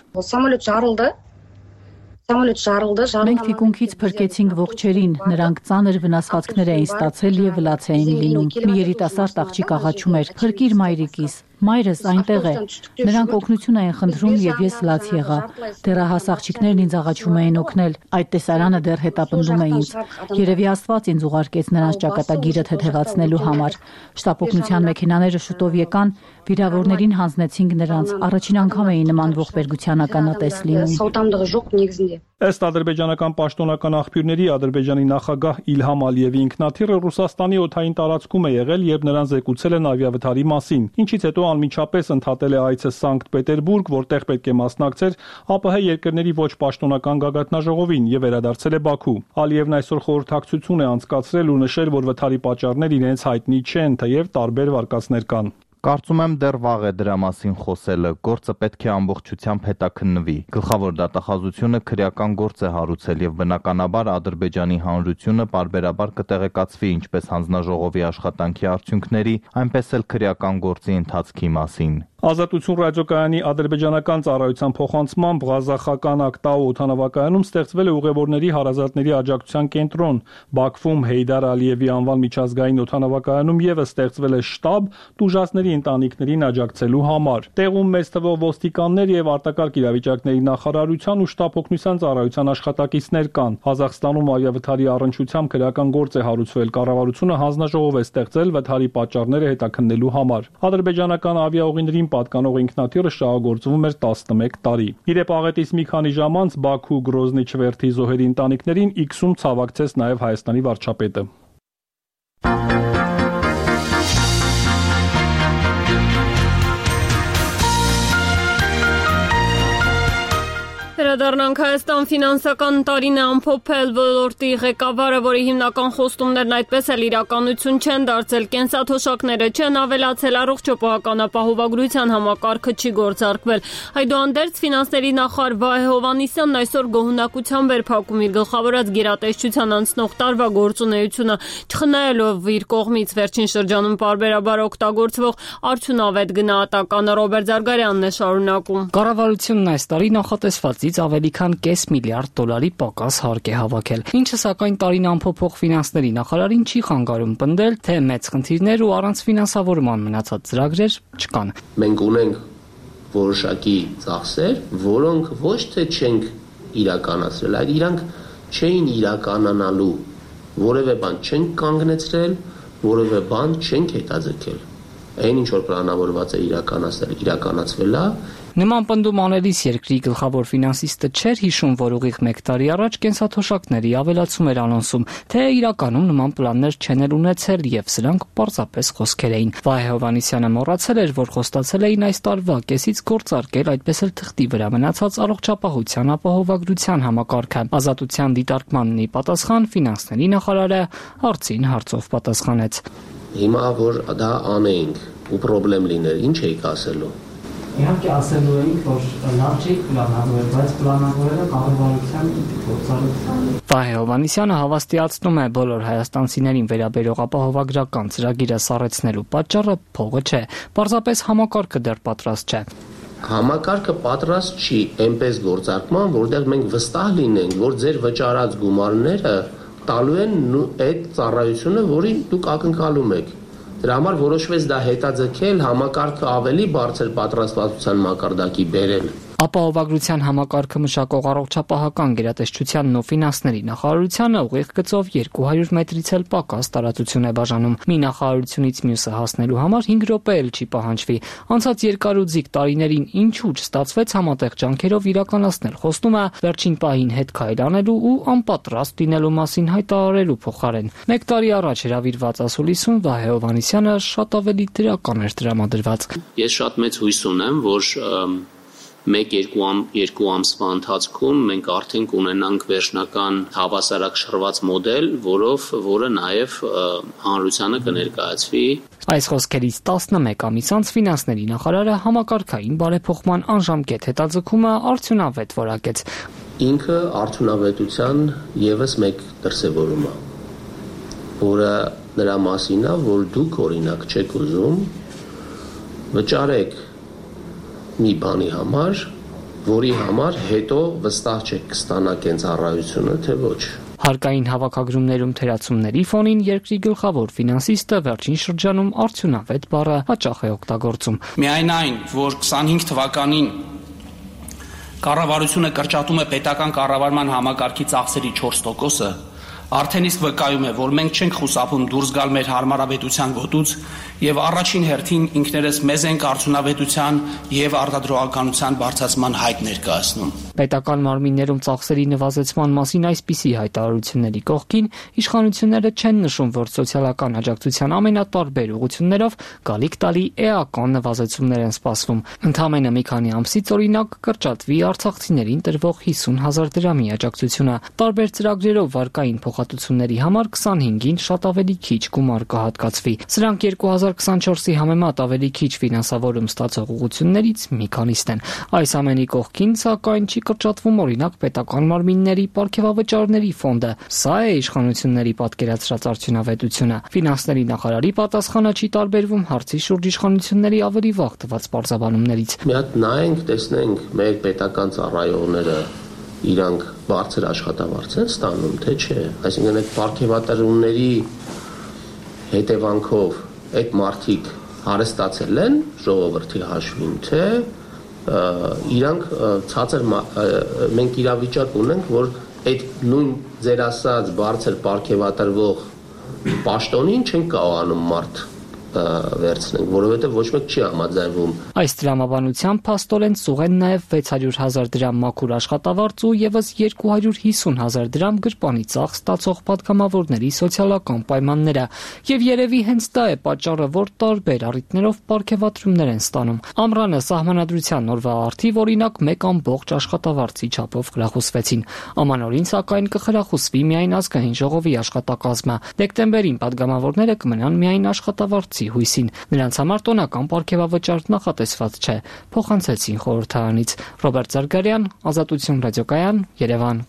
Մենք թիկունքից փրկեցինք ողջերին, նրանք ծանր վնասվածքներ էին ստացել եւ վլաց էին լինում։ Մի երիտասարդ աղջիկ աղաչում էր. «Փրկիր մայրիկիս»։ Մայրս այնտեղ է։ Նրանք օգնություն էին խնդրում եւ ես լաց եղա։ Դեռահաս աղջիկներն ինձ աղաչում էին օգնել։ Այդ տեսարանը դեռ հետապնդում է ինձ։ Երևի Աստված ինձ ուղարկեց նրանց ճակատագիրը թեթևացնելու համար։ Շտապօգնության մեքենաները շուտով եկան, վիրավորներին հանձնեցինք նրանց։ Առաջին անգամ էի նման ողբերգության ականատես լինում։ Ըստ ադրբեջանական պաշտոնական աղբյուրների, Ադրբեջանի նախագահ Իլհամ Ալիևի ինքնաթիռը Ռուսաստանի օդային տարածքում է եղել, երբ նրան զեկուցել են ավիավթարի մասին, ինչից հետո անմիջապես ընդհատել է այցը Սանկտ Պետերբուրգ, որտեղ պետք է մասնակցեր ԱՊՀ երկրների ոչ պաշտոնական գագաթնաժողովին եւ վերադարձել է Բաքու։ Ալիևն այսօր խորհրդակցություն է անցկացրել ու նշել, որ վթարի պատճառներ իրենց հայտնի չեն, թեև տարբեր վարկածներ կան։ Կարծում եմ դեռ վաղ է դրա մասին խոսելը, գործը պետք է ամբողջությամբ հետաքննվի։ Գլխավոր դատախազությունը քրեական գործ է հարուցել եւ բնականաբար Ադրբեջանի հանրությունը պարբերաբար կտեղեկացվի ինչպես հանձնաժողովի աշխատանքի արդյունքների, այնպես էլ քրեական գործի ընթացքի մասին։ Ազատություն ռադիոկայանի ադրբեջանական ծառայության փոխանցմամբ Ղազախական Ակտաու օդանավակայանում ստեղծվել է ուղևորների հարազատների աջակցության կենտրոն։ Բաքվում Հեյդար Ալիևի անվան միջազգային օդանավակայանում եւս ստեղծվել է շտաբ տուժածների ընտանիքներին աջակցելու համար։ Տեղում մեծ թվով ոստիկաններ եւ արտակարգ իրավիճակների նախարարության ու շտապօգնության ծառայության աշխատակիցներ կան։ Ղազախստանում ավիավթարի առնչությամբ քրեական գործ է հարուցվել։ Կառավարությունը հանձնաժողով է ստեղծել վթարի պատճառները հետաքննելու համար։ Ադրբեջանական ավիաուղիներին պատկանող ինքնաթիռը շահագործվում էր տասնմեկ տարի։ Իրեպ աղետից մի քանի ժամ անց Բաքու Գրոզնի չվերթի զոհերի ընտանիքներին X-ում ցավակցեց նաև Հայաստանի վարչապետը։ Վերադառնանք Հայաստան ֆինանսական տարին է ամփոփել ոլորտի ղեկավարը, որի հիմնական խոստումներն այդպես էլ իրականություն չեն դարձել, կենսաթոշակները չեն ավելացել, առողջ ապահովագրության համակարգը չի գործարկվել։ Այդուհանդերձ ֆինանսների նախարար Վահե Հովհաննիսյանն այսօր գոհունակությամբ էր փակում իր գլխավորած գերատեսչության անցնող տարվա գործունեությունը, չխնայելով իր կողմից վերջին շրջանում պարբերաբար օգտագործվող արդյունավետ գնահատականը։ Ռոբերտ Զարգարյանն է շարունակում։ Կառավարությունն այս տարի նախատեսվածից ավելի քան կես միլիարդ դոլարի պակաս հարկ է հավաքել, ինչը սակայն տարին ամփոփող ֆինանսների նախարարին չի խանգարում պնդել, թե մեծ խնդիրներ ու առանց ֆինանսավորման մնացած ծրագրեր չկան։ Մենք ունենք որոշակի ծախսեր, որոնք ոչ թե չենք իրականացրել, այլ իրանք չէին իրականանալու, որևէ բան չենք կանգնեցրել, որևէ բան չենք հետաձգել։ Այն ինչ որ պլանավորված է իրականացնել, իրականացվել է։ Նման պնդում անելիս երկրի գլխավոր ֆինանսիստը չէր հիշում, որ ուղիղ մեկ տարի առաջ կենսաթոշակների ավելացում էր անոնսում, թե իրականում նման պլաններ չեն էլ ունեցել եւ սրանք պարզապես խոսքեր էին։ Վահե Հովհաննիսյանը մոռացել էր, որ խոստացել էին այս տարվա կեսից գործարկել այդպես էլ թղթի վրա մնացած առողջապահության ապահովագրության համակարգը։ Ազատության դիտարկմանն ի պատասխան ֆինանսների նախարարը հարցին հարցով պատասխանեց։ Հիմա որ դա անեինք ու խնդրեմ լիներ, ինչ էիք ասելու։ Իհարկե ասելու էինք, որ լավ չի պլանավորել, բայց պլանավորելը կառավարության գործառույթն է։ Վահե Հովհաննիսյանը հավաստիացնում է, բոլոր հայաստանցիներին վերաբերող ապահովագրական ծրագիրը սառեցնելու պատճառը փողը չէ, պարզապես համակարգը դեռ պատրաստ չէ։ Համակարգը պատրաստ չի այնպես գործարկման, որտեղ մենք վստահ լինենք, որ ձեր վճարած գումարները տալու են այդ ծառայությունը, որին դուք ակնկալում եք։ Դրա համար որոշվեց դա հետաձգել, համակարգը ավելի բարձր պատրաստվածության մակարդակի բերել։ Ապահովագրության համակարգը մշակող առողջապահական գերատեսչությանն ու ֆինանսների նախարարությանը ուղիղ գծով երկու հարյուր մետրից էլ պակաս տարածություն է բաժանում։ Մի նախարարությունից մյուսը հասնելու համար հինգ րոպե էլ չի պահանջվի։ Անցած երկար ու ձիգ տարիներին ինչու չստացվեց համատեղ ջանքերով իրականացնել խոստումը վերջին պահին հետ քայլ անելու ու անպատրաստ լինելու մասին հայտարարելու փոխարեն։ Մեկ տարի առաջ հրավիրված ասուլիսում Վահե Հովհաննիսյանը շատ ավելի դրական էր տրամադրված։ Ես շատ մեծ հույս ունեմ, որ մեկ-երկու ամ, երկու ամսվա ընթացքում մենք արդեն կունենանք վերջնական հավասարակշռված մոդել, որով որը նաև հանրությանը կներկայացվի։ Այս խոսքերից տասնմեկ ամիս անց ֆինանսների նախարարը համակարգային բարեփոխման անժամկետ հետաձգումը արդյունավետ որակեց։ Ինքը արդյունավետության եւս մեկ դրսևորում է, որը նրա մասին է, որ դուք օրինակ չեք ուզում վճարեք մի բանի համար, որի համար հետո վստահ չեք կստանաք այն ծառայությունը, թե ոչ։ Հարկային հավաքագրումներում թերացումների ֆոնին երկրի գլխավոր ֆինանսիստը վերջին շրջանում արդյունավետ բառը հաճախ է օգտագործում։ Միայն այն, որ քսանհինգ թվականին կառավարությունը կրճատում է պետական կառավարման համակարգի ծախսերի չորս տոկոսը, արդեն իսկ վկայում է, որ մենք չենք խուսափում դուրս գալ մեր հարմարավետության գոտուց եւ առաջին հերթին ինքներս մեզ ենք արդյունավետության եւ արտադրողականության բարձրացման հայտ ներկայացնում։ Պետական մարմիններում ծախսերի նվազեցման մասին այսպիսի հայտարարությունների կողքին իշխանությունները չեն նշում, որ սոցիալական աջակցության ամենատարբեր ուղղություններով գալիք տալի էական նվազեցումներ են սպասվում։ Ընդամենը մի քանի ամսից օրինակ կրճատվի արցախցիներին տրվող հիսուն հազար դրամի աջակցությունը։ Տարբեր ծրագրերով վարկային փոխհատուցումների համար քսանհինգին շատ ավելի քիչ գումար կհատկացվի։ Սրանք երկու հազար քսանչորսի համեմատ ավելի քիչ ֆինանսավորում ստացող ուղղություններից մի քանիսն են։ Այս ամենի կողքին, սակայն, չի կրճատվում օրինակ պետական մարմինների պարգևավճարների ֆոնդը։ Սա է իշխանությունների պատկերացրած արդյունավետությունը։ Ֆինանսների նախարարի պատասխանը չի տարբերվում հարցի շուրջ իշխանությունների ավելի վաղ տված պարզաբանումներից։ Մի հատ նայենք, տեսնենք մեր պետական ծառայողները իրանք բարձր աշխատավարձ են ստանում, թե չէ։ Այսինքն այդ պարգևատրոնների հետևանքով այդ մարդիկ հարստացել են ժողովրդի հաշվին, թե իրանք ցածր մենք իրավիճակ ունենք, որ այդ նույն ձեր ասած բարձր պարգևատրվող պաշտոնին չեն կարողանում մարդ վերցնենք, որովհետև ոչ մեկ չի համաձայնվում։ Այս տրամաբանությամբ փաստորեն ծուղ են նաև վեց հարյուր հազար դրամ մաքուր աշխատավարձ ու եւս երկու հարյուր հիսուն հազար դրամ գրպանի ծախս ստացող պատգամավորների սոցիալական պայմանները, եւ երևի հենց դա է պատճառը, որ տարբեր առիթներով պարգևատրումներ են ստանում։ Ամռանը սահմանադրության օրվա առթիվ օրինակ մեկ ամբողջ աշխատավարձի չափով խրախուսվեցին։ Ամանորին սակայն կխրախուսվի միայն ազգային ժողովի աշխատակազմը։ Դեկտեմբերին պատգամավորները կմնան միայն աշխատավարձի հույսին։ Նրանց համար տոնական պարգևավճար նախատեսված չէ, փոխանցեցին խորհրդարանից։ Ռոբերտ Զարգարյան, Ազատություն ռադիոկայան, Երևան։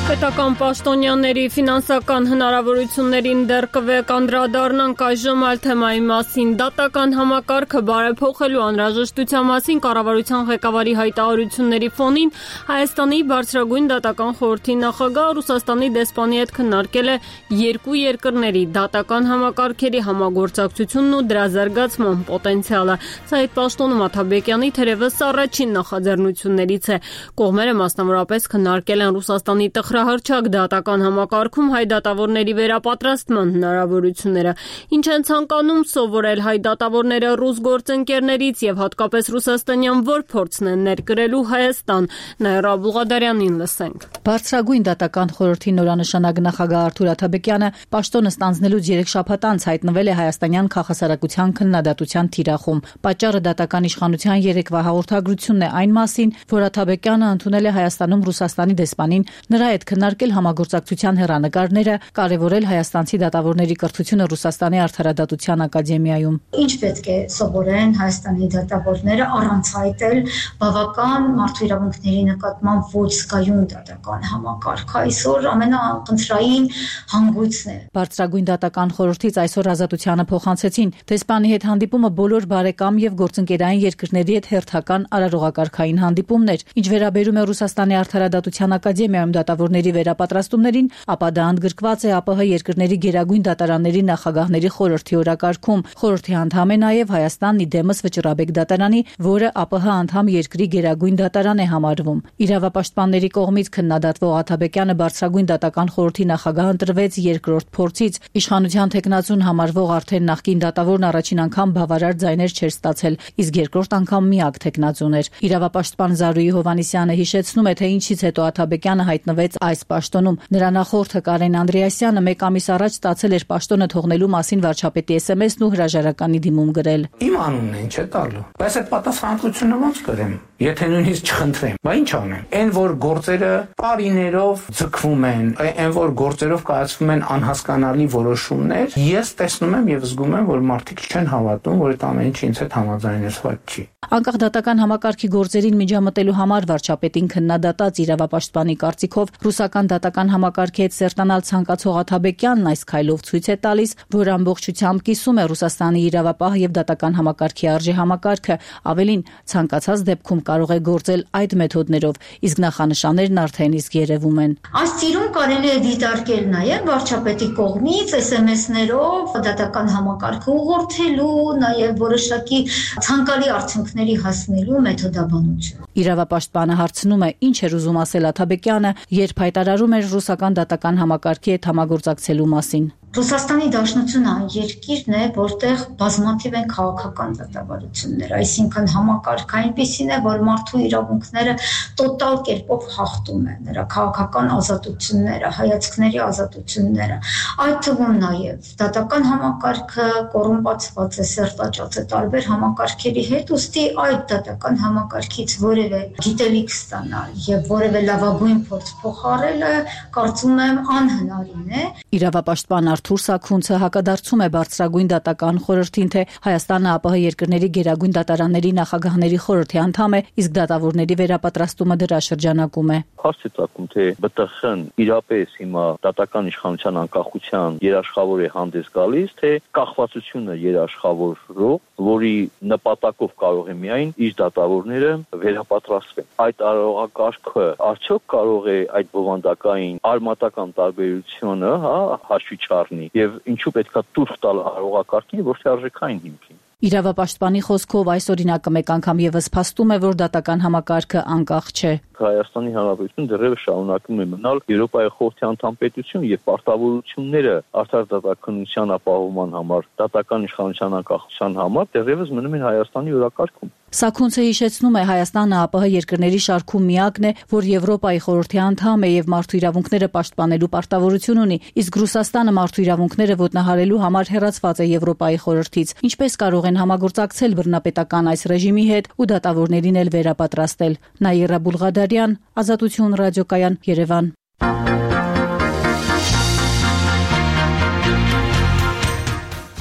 Պետական պաշտոնյաների ֆինանսական հնարավորություններին դեռ կվերանդրադառնանք այժմ այլ թեմայի մասին։ Դատական համակարգը բարեփոխելու անհրաժեշտության մասին կառավարության ղեկավարի հայտարարությունների ֆոնին Հայաստանի բարձրագույն դատական խորհրդի նախագահ Ռուսաստանի դեսպանի հետ քննարկել է երկու երկրների դատական համակարգերի համագործակցությունն ու դրա զարգացման պոտենցիալը։ Սա այդ պաշտոնում Աթաբեկյանի թերևս առաջին նախաձեռնություններից է։ Կողմերը մասնավորապես քննարկել են Ռուսաստանի տխրահռչակ դատական համակարգում հայ դատավորների վերապատրաստման հնարավորությունները, ինչ են ցանկանում սովորել հայ դատավորները ռուս գործընկերներից եւ հատկապես ռուսաստանյան որ փորձն են ներկրելու Հայաստան։ Նաիրա Բուղադարյանին լսենք։ Բարձրագույն դատական խորհրդի նորանշանակ նախագահ Արթուր Աթաբեկյանը պաշտոնը ստանձնելուց երեք շաբաթ անց հայտնվել է հայաստանյան քաղաքասարակության քննադատության թիրախում։ Պատճառը դատական իշխանության երեկվա հաղորդագրությունն է այն մասին, որ Աթաբեկյանը ընդունել է Հայաստանում Ռուսաստանի դեսպանին, նրա հետ քննարկել համագործակցության հեռանկարները, կարևորել հայաստանցի դատավորների կրթությունը Ռուսաստանի արդարադատության ակադեմիայում։ Ինչ պետք է սովորեն Հայաստանի դատավորները առանց հայտել բավական մարդու իրավունքների նկատմամբ ոչ զգայուն դատական համակարգ։ Այսօր ամենախնդրային հանգույցն է։ Բարձրագույն դատական խորհրդից այսօր Ազատությանը փոխանցեցին դեսպանի հետ հանդիպումը բոլոր բարեկամ եւ գործընկերային երկրների հետ հերթական արարողակարգային հանդիպումներ։ Ինչ վերաբերում է Ռուսաստանի արդարադատության ակադեմիայում դատավորների վերապատրաստումներին, ապա դա ընդգրկված է ԱՊՀ երկրների գերագույն դատարանների նախագահների խորհրդի օրակարգում։ Խորհրդի անդամ է նաև Հայաստանն իդեմս Վճռաբեկ դատարանի, որը ԱՊՀ անդամ երկրի գերագույն դատարան է համարվում։ Իրավապաշտպանների կողմից քննադատվող Աթաբեկյանը բարձրագույն դատական խորհրդի նախագահ ընտրվեց երկրորդ փորձից։ Իշխանության թեկնածուն համարվող արդեն նախկին դատավորն առաջին անգամ բավարար ձայներ չէր ստացել, իսկ երկրորդ անգամ միակ թեկնածուն էր։ Իրավապաշտպան Զարուհի Հովհաննիսյանը հիշեցնում է, թե ինչից հետո Աթաբեկյանը հայտնվեց այս պաշտոնում։ Նրա նախորդը Կարեն Անդրեասյանը մեկ ամիս առաջ ստացել էր պաշտոնը թողնելու մասին վարչապետի էս էմ էսն ու հրաժարականի դիմում գրել։ Իմ անունն են չէ տալու, բայց այդ պատասխանատվությունը ո՞նց կրեմ, եթե նույնիսկ չխնդրեմ, բա ինչ անեմ։ Այն որ գործերը տարիներով ձգվում են, այն որ գործերով կայացվում են անհասկանալի որոշումներ, ես տեսնում եմ եւ զգում եմ, որ մարդիկ չեն հավատում, որ այդ ամեն ինչը ինձ հետ համաձայնեցված չի։ Անկախ դատական համակարգի գործերին միջամտելու համար վարչապետին քննադատած իրավապաշտպանի կարծիքով ռուսական դատական համակարգի հետ սերտանալ ցանկացող Աթաբեկյանն այս քայլով ցույց է տալիս, որ ամբողջությամբ կիսում է Ռուսաստանի իրավապահ եւ դատական համակարգի արժե համակարգը, ավելին ցանկացած դեպքում կարող է գործել այդ մեթոդներով, իսկ նախանշաններն արդեն իսկ երևում են։ Այս ծիրուն կարելի է դիտարկել նաեւ վարչապետի կողմից էս էմ էսներով դատական համակարգը ուղղորդելու, նաեւ որոշակի ցանկալի արդյունքների հասնելու մեթոդաբանություն։ Իրավապաշտպանը հարցնում է, ինչ էր ուզում ասել Աթաբեկյանը, երբ հայտարարում էր ռուսական դատական համակարգի հետ համագործակցելու մասին։ Ռուսաստանի Դաշնությունը այն երկիրն է, որտեղ բազմաթիվ են քաղաքական դատավարություններ, այսինքն համակարգը այնպիսին է, որ մարդու իրավունքները տոտալ կերպով խախտում են, նրա քաղաքական ազատությունները, հայացքների ազատությունները, այդ թվում նաև դատական համակարգը կոռումպացված է, սերտաճած է տարբեր համակարգերի հետ, ուստի այդ դատական համակարգից որևէ գիտելիք ստանալ եւ որևէ լավագույն փորձ փոխարելը, կարծում եմ, անհնարին է։ Իրավապաշտպան Արթուր Սաքունցը հակադարձում է բարձրագույն դատական խորհրդին, թե Հայաստանը ԱՊՀ երկրների գերագույն դատարանների նախագահների խորհրդի անդամ է, իսկ դատավորների վերապատրաստումը դրա շրջանակում է։ Հարց է ծագում, թե ԲՏԽ-ն իրապես հիմա դատական իշխանության անկախության երաշխավոր է հանդես գալիս, թե կախվածությունը երաշխավորող, որի նպատակով կարող է միայն իր դատավորները վերապատրաստվեն։ Այդ արարողակարգը արդյոք կարող է այդ բովանդակային արմատական տարբերությունը, հա, հաշվի չառնի եւ ինչու պետքա տուրք տալ արարողակարգին, որտեղ արժեքային հիմքին։ Իրավապաշտպանի խոսքով այս օրինակը մեկ անգամ եւս փաստում է, որ դատական համակարգը անկախ չէ։ Հայաստանի Հանրապետությունը դեռևս շարունակում է մնալ Եվրոպայի խորհրդի անդամ պետություն եւ պարտավորությունները արդար դատականության ապահովման համար, դատական իշխանության անկախության համար դեռևս մնում են Հայաստանի օրակարգում։ Սաքունցը հիշեցնում է, Հայաստանը ԱՊՀ երկրների շարքում միակն է, որ Եվրոպայի խորհրդի անդամ է եւ մարդու իրավունքները պաշտպանելու պարտավորություն ունի, իսկ Ռուսաստանը մարդու իրավունքները ոտնահարելու համար հեռացված է Եվրոպայի խորհրդից։ Ինչպես կարող են համագործակցել բռնապետական այս ռեժիմի հետ ու դատավորներին էլ վերապատրաստել։ Նաիրա Բուլղադարյան, Ազատություն ռադիոկայան, Երևան։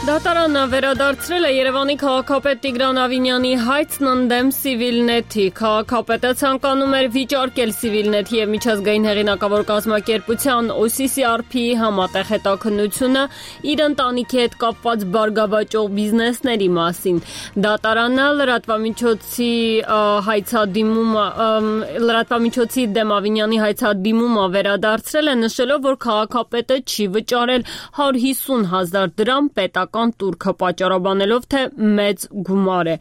Դատարանը վերադարձրել է Երևանի քաղաքապետ Տիգրան Ավինյանի հայցն ընդդեմ Civilnet-ի։ Քաղաքապետը ցանկանում էր վիճարկել Civilnet-ի եւ միջազգային հեղինակավոր կազմակերպության O C C R P-ի համատեղ հետաքննությունը իր ընտանիքի հետ կապված բարգավաճող բիզնեսների մասին։ Դատարանը լրատվամիջոցի հայցադիմումը լրատվամիջոցի դեմ Ավինյանի հայցադիմումը վերադարձրել է, նշելով, որ քաղաքապետը չի վճարել հարյուր հիսուն հազար դրամ պետական տուրքը պատճառաբանելով, թե մեծ գումար է։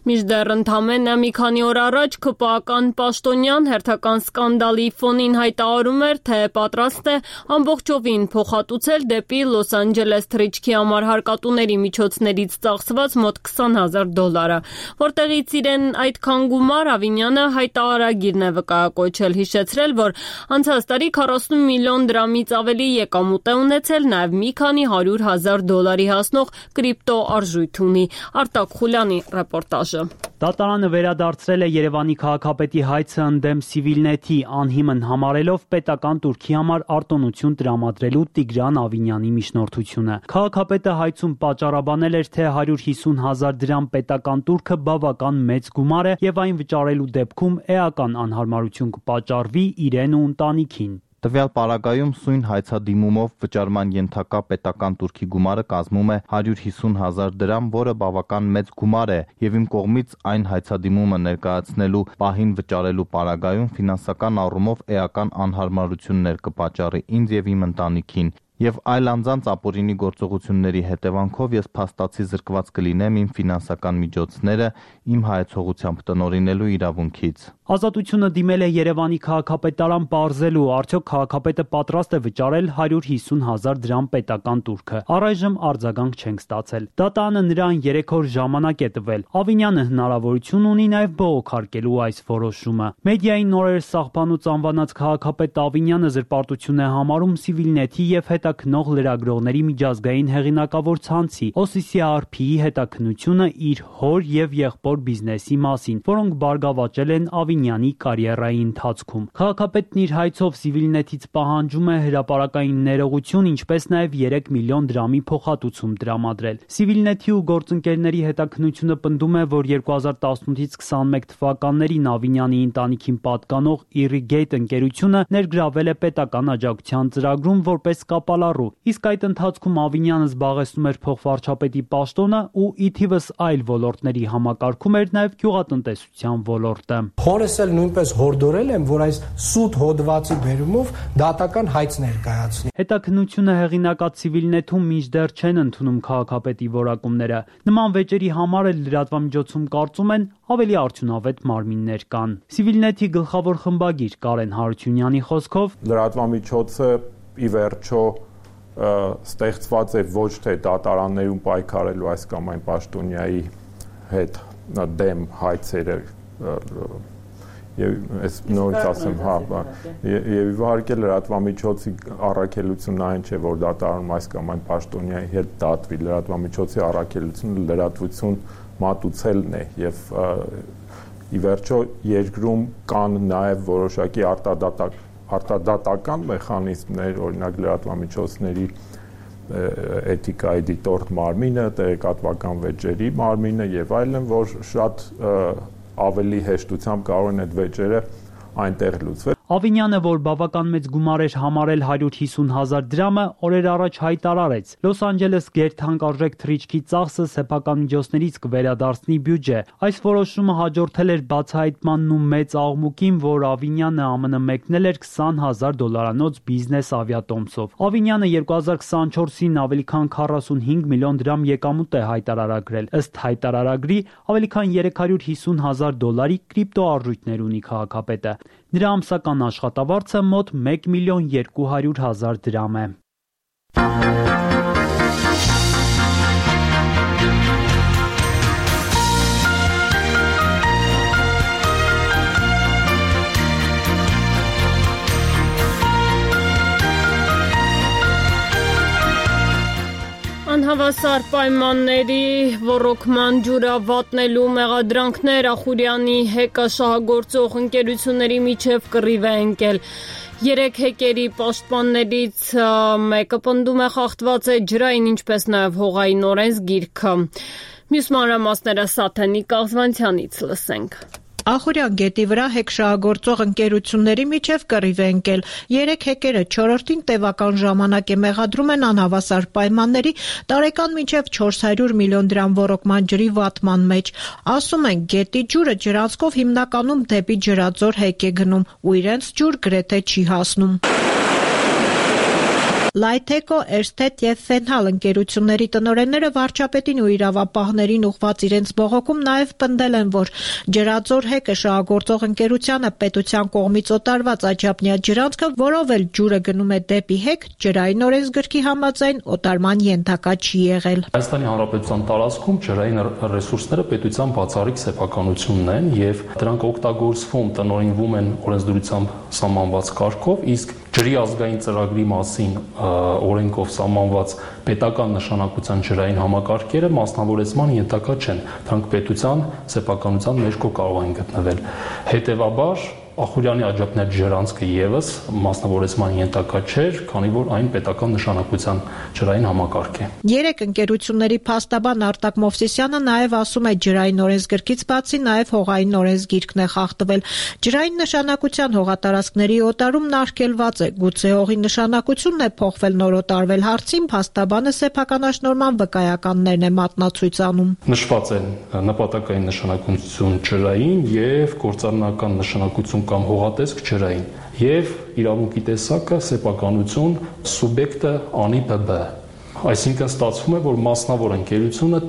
Մինչդեռ ընդամենը մի քանի օր առաջ ՔՊԱ-ական պաշտոնյան հերթական սկանդալի ֆոնին հայտարարում էր, թե պատրաստ է ամբողջովին փոխհատուցել դեպի Լոս Անջելես թռիչքի համար հարկատուների միջոցներից ծախսված մոտ քսան հազար դոլարը, որտեղից իրեն այդքան գումար Ավինյանը հայտարարագիրն է վկայակոչել, հիշեցրել, որ անցած տարի քառասուն միլիոն դրամից ավելի եկամուտ է ունեցել, նաև մի քանի հարյուր հազար դոլարի հասնող կրիպտո արժույթ ունի։ Արտակ Խուլյանի ռեպորտաժը։ Դատարանը վերադարձրել է Երևանի քաղաքապետի հայցը ընդդեմ Civilnet-ի, անհիմն համարելով պետական տուրքի համար արտոնություն տրամադրելու Տիգրան Ավինյանի միջնորդությունը։ Քաղաքապետը հայցում պատճառաբանել էր, թե հարյուր հիսուն հազար դրամ պետական տուրքը բավական մեծ գումար է եւ այն վճարելու դեպքում էական անհարմարություն կպատճառվի իրեն ու ընտանիքին։ Տվյալ պարագայում սույն հայցադիմումով վճարման ենթակա պետական տուրքի գումարը կազմում է հարյուր հիսուն հազար դրամ, որը բավական մեծ գումար է, եւ իմ կողմից այն հայցադիմումը ներկայացնելու պահին վճարելու պարագայում ֆինանսական առումով էական անհարմարություններ կպատճառի ինձ եւ իմ ընտանիքին։ Եվ այլ անձանց ապօրինի գործողությունների հետևանքով ես փաստացի զրկված կլինեմ իմ ֆինանսական միջոցները իմ հայեցողությամբ տնօրինելու իրավունքից։ Ազատությունը դիմել է Երևանի քաղաքապետարան պարզելու, արդյոք քաղաքապետը պատրաստ է վճարել հարյուր հիսուն հազար դրամ պետական տուրքը։ Առայժմ արձագանք չենք ստացել։ Դատարանը նրան երեք օր ժամանակ է տվել։ Ավինյանը հնարավորություն ունի նաև բողոքարկելու այս որոշումը։ Մեդիային նորեր սահմանուց անվանած քաղաքապետ Ավինյանը զրպարտություն է համարում Civilnet-ի եւ հետաքնող լրագրողների միջազգային հեղինակավոր ցանցի O C C R P-ի հետաքննությունը իր հոր եւ եղբոր բիզնեսի մասին, որոնք բարգավաճել են Ավինյանի կարիերայի ընթացքում։ Քաղաքապետն իր հայցով Civilnet-ից պահանջում է հրապարակային ներողություն, ինչպես նաեւ երեք միլիոն դրամի փոխհատուցում տրամադրել։ Civilnet-ի ու գործընկերների հետաքննությունը պնդում է, որ երկու հազար տասնութից քսանմեկ թվականներին Ավինյանի ընտանիքին պատկանող Irrigate ընկերությունը ներգրավել է պետական աջակցության ծրագրում որպես կապալառու, իսկ այդ ընթացքում Ավինյանը զբաղեցնում էր փոխվարչապետի պաշտոնը ու ի թիվս այլ ոլորտների համակարգում էր նաև գյուղատնտեսության ոլորտը։ Հորս էլ նույնպես հորդորել եմ, որ այս սուտ հոդվածի բերումով դատական հայց ներկայացնի։ Հետաքննությունը հեղինակած Civilnet-ում մինչդեռ չեն ընդունում քաղաքապետի որակումները։ Նման վեճերի համար էլ լրատվամիջոցում կարծում են ավելի արդյունավետ մարմիններ կան։ Civilnet-ի գլխավոր խմբագիր Կարեն Հարությունյանի խոսքով լրատվամիջոցը ի վերջո ստեղծված է ոչ թե դատարաններում պայքարելու այս կամ այն պաշտոնյայի հետ դեմ հայցերը եւ այս նորից ասեմ, հա, եւ իհարկե լրատվամիջոցի առաքելությունն այն չէ, որ դատարանում այս կամ այն պաշտոնյայի հետ դատվի, լրատվամիջոցի առաքելությունը լրատվություն մատուցելն է եւ ի վերջո երկրում կան նաեւ որոշակի արտադատակ արտադատական մեխանիզմներ, օրինակ լրատվամիջոցների էթիկայի դիտորդ մարմինը, տեղեկատվական վեճերի մարմինը եւ այլն, որ շատ ավելի հեշտությամբ կարող են այդ վեճերը այնտեղ լուծվել։ Ավինյանը, որ բավական մեծ գումար էր համարել հարյուր հիսուն հազար դրամը, օրեր առաջ հայտարարեց. Լոս Անջելես գերթանկարժեք թռիչքի ծախսը սեփական միջոցներից կվերադարձնի բյուջե։ Այս որոշումը հաջորդել էր բացահայտմանն ու մեծ աղմուկին, որ Ավինյանը ԱՄՆ մեկնել էր քսան հազար դոլարանոց բիզնես ավիատոմսով։ Ավինյանը երկու հազար քսանչորսին ավելի քան քառասունհինգ միլիոն դրամ եկամուտ է հայտարարագրել։ Ըստ հայտարարագրի, ավելի քան երեք հարյուր հիսուն հազար դոլարի կրիպտո արժույթներ ունի քաղաքապետը։ Նրա ամսական աշխատավարձը մոտ մեկ միլիոն երկու հարյուր հազար դրամ է։ Անհավասար պայմանների ոռոգման ջուրը վատնելու մեղադրանքներ Ախուրյանի հեկը շահագործող ընկերությունների միջև կռիվ է ընկել։ Երեք հեկերի պաշտպաններից մեկը պնդում է խախտված է ջրային, ինչպես նաև հողային օրենսգիրքը։ Մյուս մանրամասները Սաթենիկ Աղզվանցյանից լսենք։ Ախուրյան գետի վրա հեքշահագործող ընկերությունների միջև կռիվ է ընկել։ Երեք հեկերը չորրորդին տևական ժամանակ է մեղադրում են անհավասար պայմանների տարեկան մինչև չորս հարյուր միլիոն դրամ ոռոգման ջրի վատման մեջ։ Ասում են, գետի ջուրը ջրանցքով հիմնականում դեպի Ջրաձոր հեկ է գնում ու իրենց ջուր գրեթե չի հասնում։ Լայթեկո, Էրստետ և Ֆենհալ ընկերությունների տնօրենները վարչապետին ու իրավապահներին ուղղված իրենց բողոքում նաև պնդել են, որ Ջրաձոր հեկը շահագործող ընկերությանը պետության կողմից օտարված աչափնյա ջրանցքը, որով էլ ջուրը գնում է դեպի հեկ, ջրային օրենսգրքի համաձայն օտարման ենթակա չի եղել։ Հայաստանի Հանրապետության տարածքում ջրային ռեսուրսները պետության բացառիկ սեփականությունն են եւ դրանք օգտագործվում, տնօրինվում են օրենսդրությամբ սահմանված կարգով, իսկ ջրի ազգային ծրագրի մասին օրենքով սահմանված պետական նշանակության ջրային համակարգերը մասնավորեցման ենթակա չեն։ Դրանք պետության սեփականության ներքո կարող են գտնվել։ Հետևաբար Ախուրյանի աջափնյա ջրանցքը եւս մասնավորեցման ենթակա չէր, քանի որ այն պետական նշանակության ջրային համակարգ է։ Երեք ընկերությունների փաստաբան Արտակ Մովսիսյանը նաև ասում է, ջրային օրենսգրքից բացի նաև հողային օրենսգիրքն է խախտվել։ Ջրային նշանակության հողատարածքների օտարումն արգելված է, գուցե հողի նշանակությունն է փոխվել նոր օտարվել հարցին, փաստաբանը սեփականաշնորհման վկայականներն է մատնացույց անում։ Նշված են նպատակային նշանակություն ջրային եւ գործառնական նշանակություն կամ հողատեսկ ջրային եւ իրավունքի տեսակը սեփականություն սուբյեկտը անի բբ։ Այսինքն ստացվում է, որ մասնավոր ընկերությունը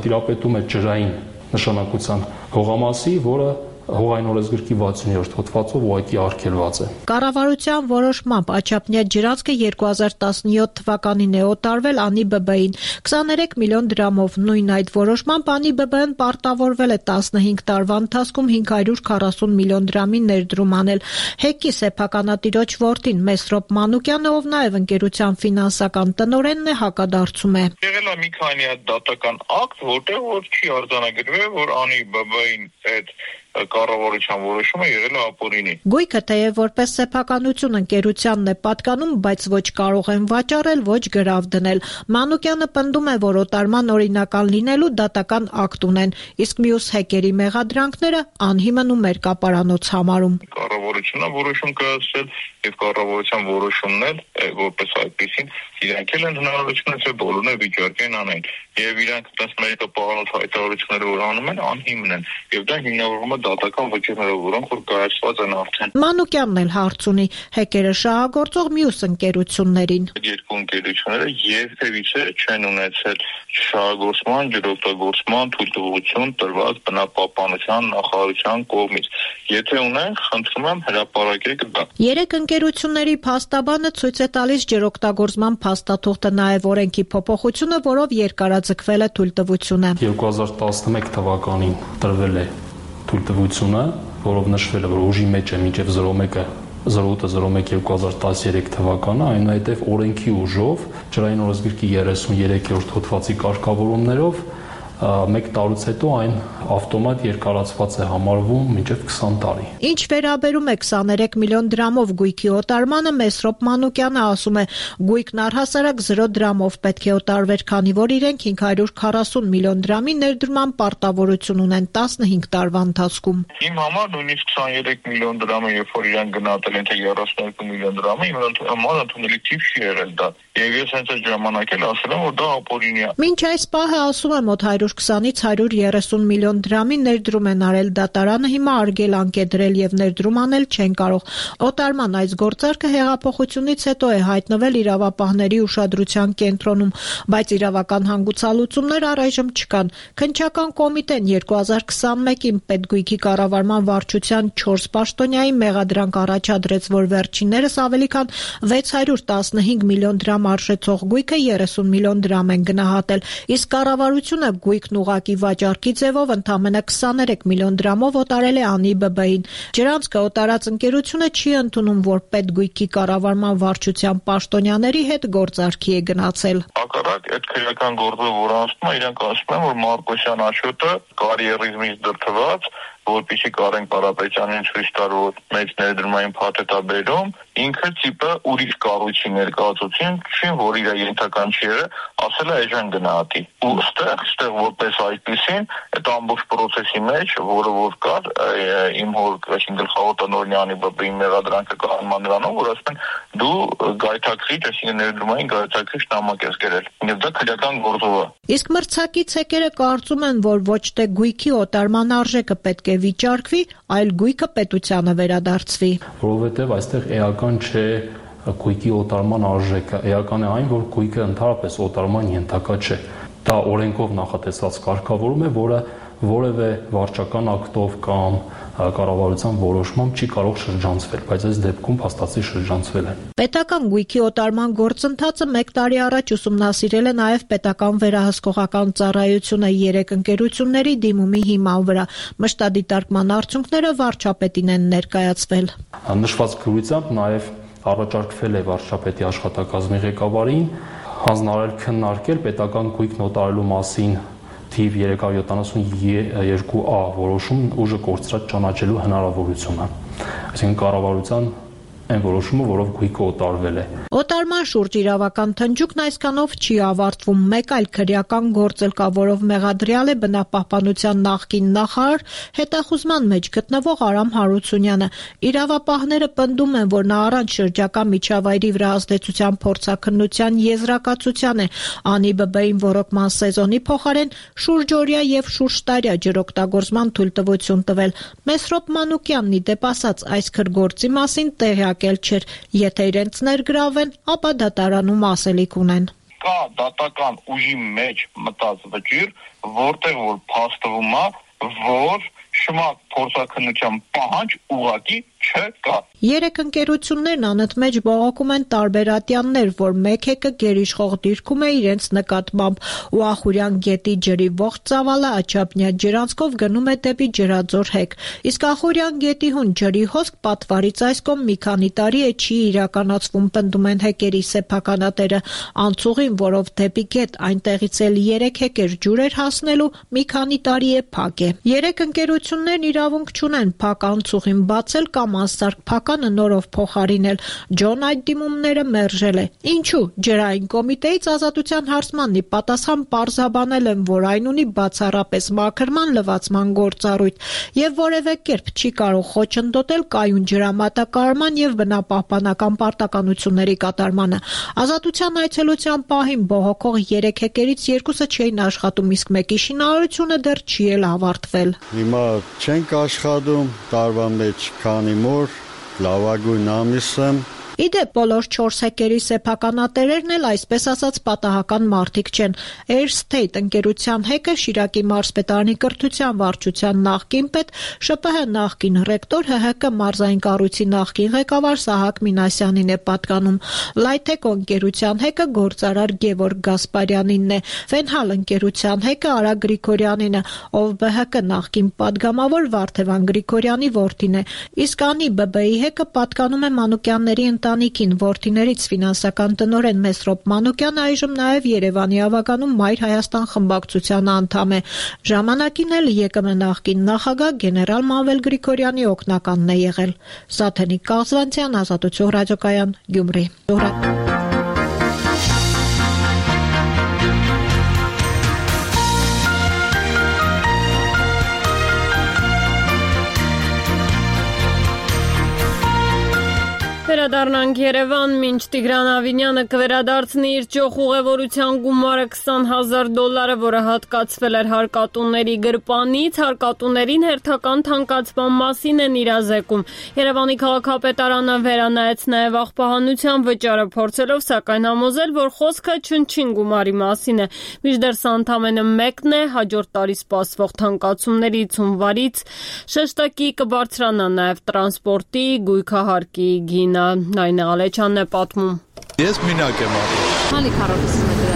տիրապետում է ջրային նշանակության հողամասի, որը հողային օրենսգրքի վաթսուներորդ հոդվածով ուղղակի արգելված է։ Կառավարության որոշմամբ աչափնյա ջրանցքը երկու հազար տասնյոթ թվականին է օտարվել անի բբ-ին քսաներեք միլիոն դրամով։ Նույն այդ որոշմամբ անի բբ-ն պարտավորվել է տասնհինգ տարվա ընթացքում հինգ հարյուր քառասուն միլիոն դրամի ներդրում անել։ Հեկի սեփականատիրոջ որդին Մեսրոպ Մանուկյանը, ով նաև ընկերության ֆինանսական տնօրենն է, հակադարձում է։ Եղել է մի քանի հատ դատական ակտ, որտեղ որ չի արձանագրվել, որ անի բբ-ին այդ կառավարության որոշումը եղել է ապօրինի։ Գույքը թեև որպես սեփականություն ընկերությանն է պատկանում, բայց ոչ կարող են վաճառել, ոչ գրավ դնել։ Մանուկյանը պնդում է, որ օտարման օրինական լինելու դատական ակտ ունեն, իսկ մյուս հեկերի մեղադրանքները անհիմն ու մերկապարանոց համարում։ Կառավարությունը որոշում կայացրել եւ կառավարության որոշումն էլ որպես այդպեսին իրանք էլ են հնարավորություն ունեցել բոլորն է վիճարկեն անեն եւ իրանք տասնմեկը պահանջ հայտարարությունները որ անում են անհիմն են եւ դա հիմնավորվում է դատական վճիռներով, որոնք որ կայացված են արդեն։ Մանուկյանն էլ հարց ունի հեկերը շահագործող մյուս ընկերություններին։ Երկու ընկերությունները երբևիցե չեն ունեցել շահագործման, ջրօգտագործման թույլտվություն տրված բնապահպանության նախարարության կողմից։ Եթե ունեն, խնդրում եմ հրապարակեք դա։ Երեք ընկերությունների փաստաբանը ցույց է տալիս ջրօգտագործման փաստաթուղթը, նաև օրենքի փոփոխությունը, որով երկարաձգվել է թույլտվությունը։ երկու հազար տասնմեկ թվականին տրվել է թույլտվությունը, որով նշվել է, որ ուժի մեջ է մինչև զրո մեկը զրո ութ զրո մեկ երկու հազար տասներեք թվականը, այնուհետև օրենքի ուժով ջրային օրենսգրքի երեսուններորդ հոդվածի կարգավորումներով մեկ տարուց հետո այն ավտոմատ երկարացված է համարվում մինչև քսան տարի։ Ինչ վերաբերում է քսաներեք միլիոն դրամով գույքի օտարմանը, Մեսրոպ Մանուկյանը ասում է, գույքն առհասարակ զրո դրամով պետք է օտարվեր, քանի որ իրենք հինգ հարյուր քառասուն միլիոն դրամի ներդրման պարտավորություն ունեն տասնհինգ տարվա ընթացքում։ Իմ համար նույնիսկ քսաներեք միլիոն դրամը, երբ որ իրենք գնահատել են թե երեսունյոթ միլիոն դրամը, իմ համար ընդունելի թիվ չի եղել դա։ Եվ ես հենց այդ ժամանակ էլ ասել եմ, որ դա ապօրինի է։ Մինչ այս պահը, ասում եմ, մոտ հարյուր քսանից հարյուր երեսուն միլիոն դրամի ներդրում են արել, դատարանը հիմա արգելանք է դրել եւ ներդրում անել չեն կարող։ Օտարման այս գործարքը հեղափոխությունից հետո է հայտնվել իրավապահների ուշադրության կենտրոնում, բայց իրավական հանգուցալուծումներ առայժմ չկան։ Քննչական կոմիտեն երկու հազար քսանմեկին Պետգույքի կառավարման վարչության չորս պաշտոնյայի մեղադրանք առաջադրեց, որ վերջիններս ավելի քան վեց հարյուր տասնհինգ միլիոն դրամ արժեցող գույքը երեսուն միլիոն դրամ են գնահատել, իսկ կառավարությունը գույքն ուղղակի վաճառքի ձևով ընդամենը քսաներեք միլիոն դրամով օտարել է ԱՆԻ B B-ին։ Ջրանցքը օտարած ընկերությունը չի ընդունում, որ Պետգույքի կառավարման վարչության պաշտոնյաների հետ գործարքի է գնացել։ Հակառակ այդ քրեական գործը, որ անցնում է, իրենք ասում են, որ Մարկոսյան Աշոտը կարիերիզմից դրդված, որպեսզի Կարեն Կարապետյանին ցույց տար, որ մեծ ներդրումային փաթեթ է բերում, ինքը տիպը ուրիշ կառույցի ներկայացուցին, չին, որ իր ենթական չի եղել, ասել է այժմ գնահատի։ Ու ստեղ, ստեղ որպես այդպեսին, այդ ամբողջ process-ի մեջ, որը որ կար, իմ հոր այսին գլխավոր տնօրենի ԱՆԻ B B-ի մեղադրանքը կանոնման նրանով, որ ասում են դու գայթակղիչ, այսինքն ներդրումային գայթակղիչ նամակ ես գրել։ Եվ դա քրեական գործով է։ Իսկ մրցակից հեկերը կարծում են, որ ոչ թե գույքի օտարման արժեքը պետք է վիճարկվի, այլ գույքը պետությանը վերադարձվի։ Որովհետև այստեղ էական չէ գույքի օտարման արժեքը, էական է այն, որ գույքը ընդհանրապես օտարման ենթակա չէ։ Դա օրենքով նախատեսված կարգավորում է, որը որևէ վարչական ակտով կամ կառավարության որոշմամբ չի կարող շրջանցվել, բայց այս դեպքում փաստացի շրջանցվել է։ Պետական գույքի օտարման գործընթացը մեկ տարի առաջ ուսումնասիրել է նաև պետական վերահսկողական ծառայությունը երեք ընկերությունների դիմումի հիման վրա։ Մշտադիտարկման արդյունքները վարչապետին են ներկայացվել։ Նշված գրությամբ նաև առաջարկվել է վարչապետի աշխատակազմի ղեկավարին հանձնարարել քննարկել պետական գույքն օտարելու մասին թիվ երեք հարյուր յոթանասունյոթ A որոշում ուժը կորցրած ճանաչելու հնարավորությունը։ Այսինքն կառավարության այն որոշումը, որով գույքը օտարվել է։ Օտարման շուրջ իրավական թնջուկն այսքանով չի ավարտվում։ Մեկ այլ քրեական գործ էլ կա, որով մեղադրյալ է բնապահպանության նախկին նախարար, հետախուզման մեջ գտնվող Արամ Հարությունյանը։ Իրավապահները պնդում են, որ նա առանց շրջակա միջավայրի վրա ազդեցության փորձաքննության եզրակացության է ԱՆԻ B B-ին ոռոգման սեզոնի փոխարեն շուրջօրյա եւ շուրջտարյա ջրօգտագործման թույլտվություն տվել։ Մեսրոպ Մանուկյանն ի դեպ ասած այս քրգործի մասին տեղյակ չէր, եթե իրենց ներգրավեն, ապա դատարանում ասելիք ունեն։ Կա դատական ուժի մեջ մտած վճիռ, որտեղ որ փաստվում է, որ շմակ փորձաքննության պահանջ ուղղակի չկա։ Երեք ընկերություններն անընդմեջ բողոքում են տարբեր ատյաններ, որ մեկ հեկը գերիշխող դիրքում է իրենց նկատմամբ, ու Ախուրյան գետի ջրի ողջ ծավալը Աչափնյա ջրանցքով գնում է դեպի Ջրաձոր հեկ։ Իսկ Ախուրյան գետի հուն ջրի հոսք պատվարից այս կողմ մի քանի տարի է չի իրականացվում, պնդում են հեկերի սեփականատերը։ Անցուղին, որով դեպի գետ այնտեղից էլ երեք հեկեր ջուր էր հասնելու, մի քանի տարի է փակ է։ Երեք ընկերություններն իրավունք չունեն փակ անցուղին բացել կամ անսարք փականը նորով փոխարինել։ Ջոն այդ դիմումները մերժել է։ Ինչու՞։ Ջրային կոմիտեից ազատության հարցմանն ի պատասխան պարզաբանել են, որ այն ունի բացառապես մաքրման լվացման գործառույթ եւ որևէ կերպ չի կարող խոչընդոտել կայուն ջրամատակարարման եւ բնապահպանական պարտականությունների կատարմանը։ Ազատության այցելության պահին բողոքող երեք հեկերից երկուսը չէին աշխատում, իսկ մեկի շինարարությունը դեռ չի էլ ավարտվել։ Հիմա չենք աշխատում, տարվա մեջ քանի մոր լավագույն ամիս եմ։ Իդեպ բոլոր չորս հեկերի սեփականատերերն էլ այսպես ասած պատահական մարդիկ չեն։ Air State ընկերության հեկը Շիրակի մարզպետարանի կրթության վարչության նախկին պետ, Շ Փ Հ նախկին ռեկտոր, Հ Հ Կ մարզային կառույցի նախկին ղեկավար Սահակ Մինասյանին է պատկանում։ Լայթեկո ընկերության հեկը գործարար Գևորգ Գասպարյանինն է։ Վենհալ ընկերության հեկը Արա Գրիգորյանին է, ով B H K նախկին падգամավոր Վարդևան Գրիգորյանի որդին է։ Իսկ ԱՆԻ B B-ի հեկը պատկանում է Մանուկյանների ընտանիքին որդիներից ֆինանսական տնօրեն Մեսրոպ Մանուկյանը այժմ նաև Երևանի ավականում Մայր Հայաստան խմբակցության անդամ է։ Ժամանակին էլ ԵԿՄ նախկին նախագահ գեներալ Մանվել Գրիգորյանի օգնականն է եղել։ Սաթենիկ Կազվանցյան, Ազատություն ռադիոկայան, Գյումրի։ Վերադառնանք Երևան, մինչ Տիգրան Ավինյանը կվերադարձնի իր ճոխ ուղևորության գումարը քսան հազար դոլարը, որը հատկացվել էր հարկատուների գրպանից, հարկատուներին հերթական թանկացման մասին են իրազեկում։ Երևանի քաղաքապետարանը վերանայեց նաև աղբահանության վճարը, փորձելով սակայն համոզել, որ խոսքը չնչին գումարի մասին է։ Մինչդեռ սա ընդամենը մեկն է, հաջորդ տարի սպասվող թանկացումներից հունվարից շեշտակի կբարձրանա նաև տրանսպորտի, գույքահարկի գինը։ Նայնե Ալեչյանն է պատմում։ Ես մինակ եմ ապրում։ Քանի քառակուսի մետրաժ։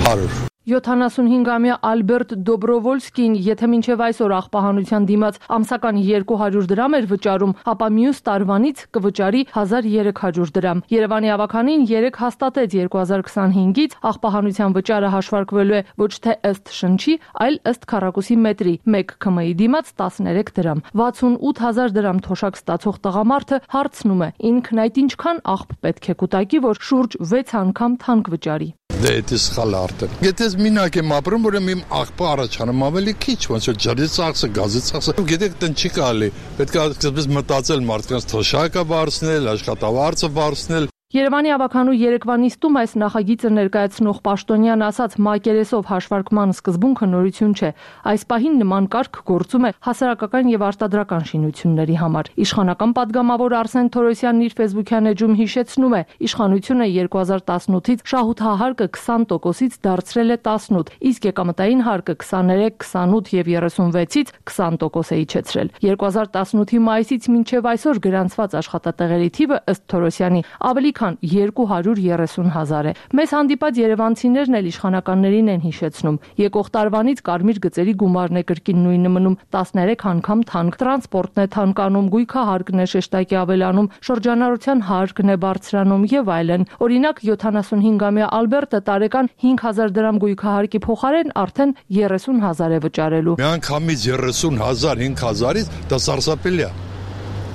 հարյուր յոթանասունհինգամյա Ալբերտ Դոբրովոլսկին, եթե մինչև այսօր աղբահանության դիմաց ամսական երկու հարյուր դրամ էր վճարում, ապա մյուս տարվանից կվճարի հազար երեք հարյուր դրամ։ Երևանի ավականին երեք հաստատեց երկու հազար քսանհինգից աղբահանության վճարը հաշվարկվելու է ոչ թե ըստ շնչի, այլ ըստ քառակուսի մետրի, մեկ ՔՄ-ի դիմաց տասներեք դրամ։ վաթսունութ հազար դրամ թոշակ ստացող տղամարդը հարցնում է, ինքն այդ ինչքան աղբ պետք է կուտակի, որ շուրջ վեց անգամ թանկ վճարի։ Դե դա սխալ արդեն։ Եթե մինակ եմ ապրում, որ իմ աղբը առաջանում ավելի քիչ, ոնց որ ջրի ծախսը, գազի ծախսը։ Գիտեք, տնդ չի կարելի։ Պետք է այսպես մտածել մարդկանց թոշակը բարձնել, աշխատավարձը բարձնել։ Երևանի ավականու երեկվա նիստում այս նախագիծը ներկայացնող պաշտոնյան ասաց, մակերեսով հաշվարկման սկզբունքը նորություն չէ։ Այս պահին նման կարգ գործում է հասարակական եւ արտադրական շինությունների համար։ Իշխանական падգամավոր Արսեն Թորոսյանն իր ֆեյսբուքյան էջում հիշեցնում է, իշխանությունը երկու հազար տասնութից շահութահարկը քսան տոկոսից դարձրել է տասնութ, իսկ եկամտային հարկը քսաներեք, քսանութ եւ երեսունվեցից քսան տոկոս է իջեցրել։ երկու հազար տասնութի մայիսից մինչև այսօր գրանցված աշխատատեղերի թիվը ըստ Թորոսյանի ավելի քան երկու հարյուր երեսուն հազար է։ Մեզ հանդիպած երևանցիներն էլ իշխանականներին են հիշեցնում։ Եկող տարվանից կարմիր գծերի գումարն է կրկին նույնը մնում, տասներեք անգամ թանկ, տրանսպորտն է թանկանում, գույքահարկն է շեշտակի ավելանում, շրջանառության հարկն է բարձրանում եւ այլն։ Օրինակ յոթանասունհինգամյա Ալբերտը տարեկան հինգ հազար դրամ գույքահարկի փոխարեն արդեն երեսուն հազար է վճարելու։ Միանգամից երեսուն հազար, հինգ հազարից դա սարսափելի է։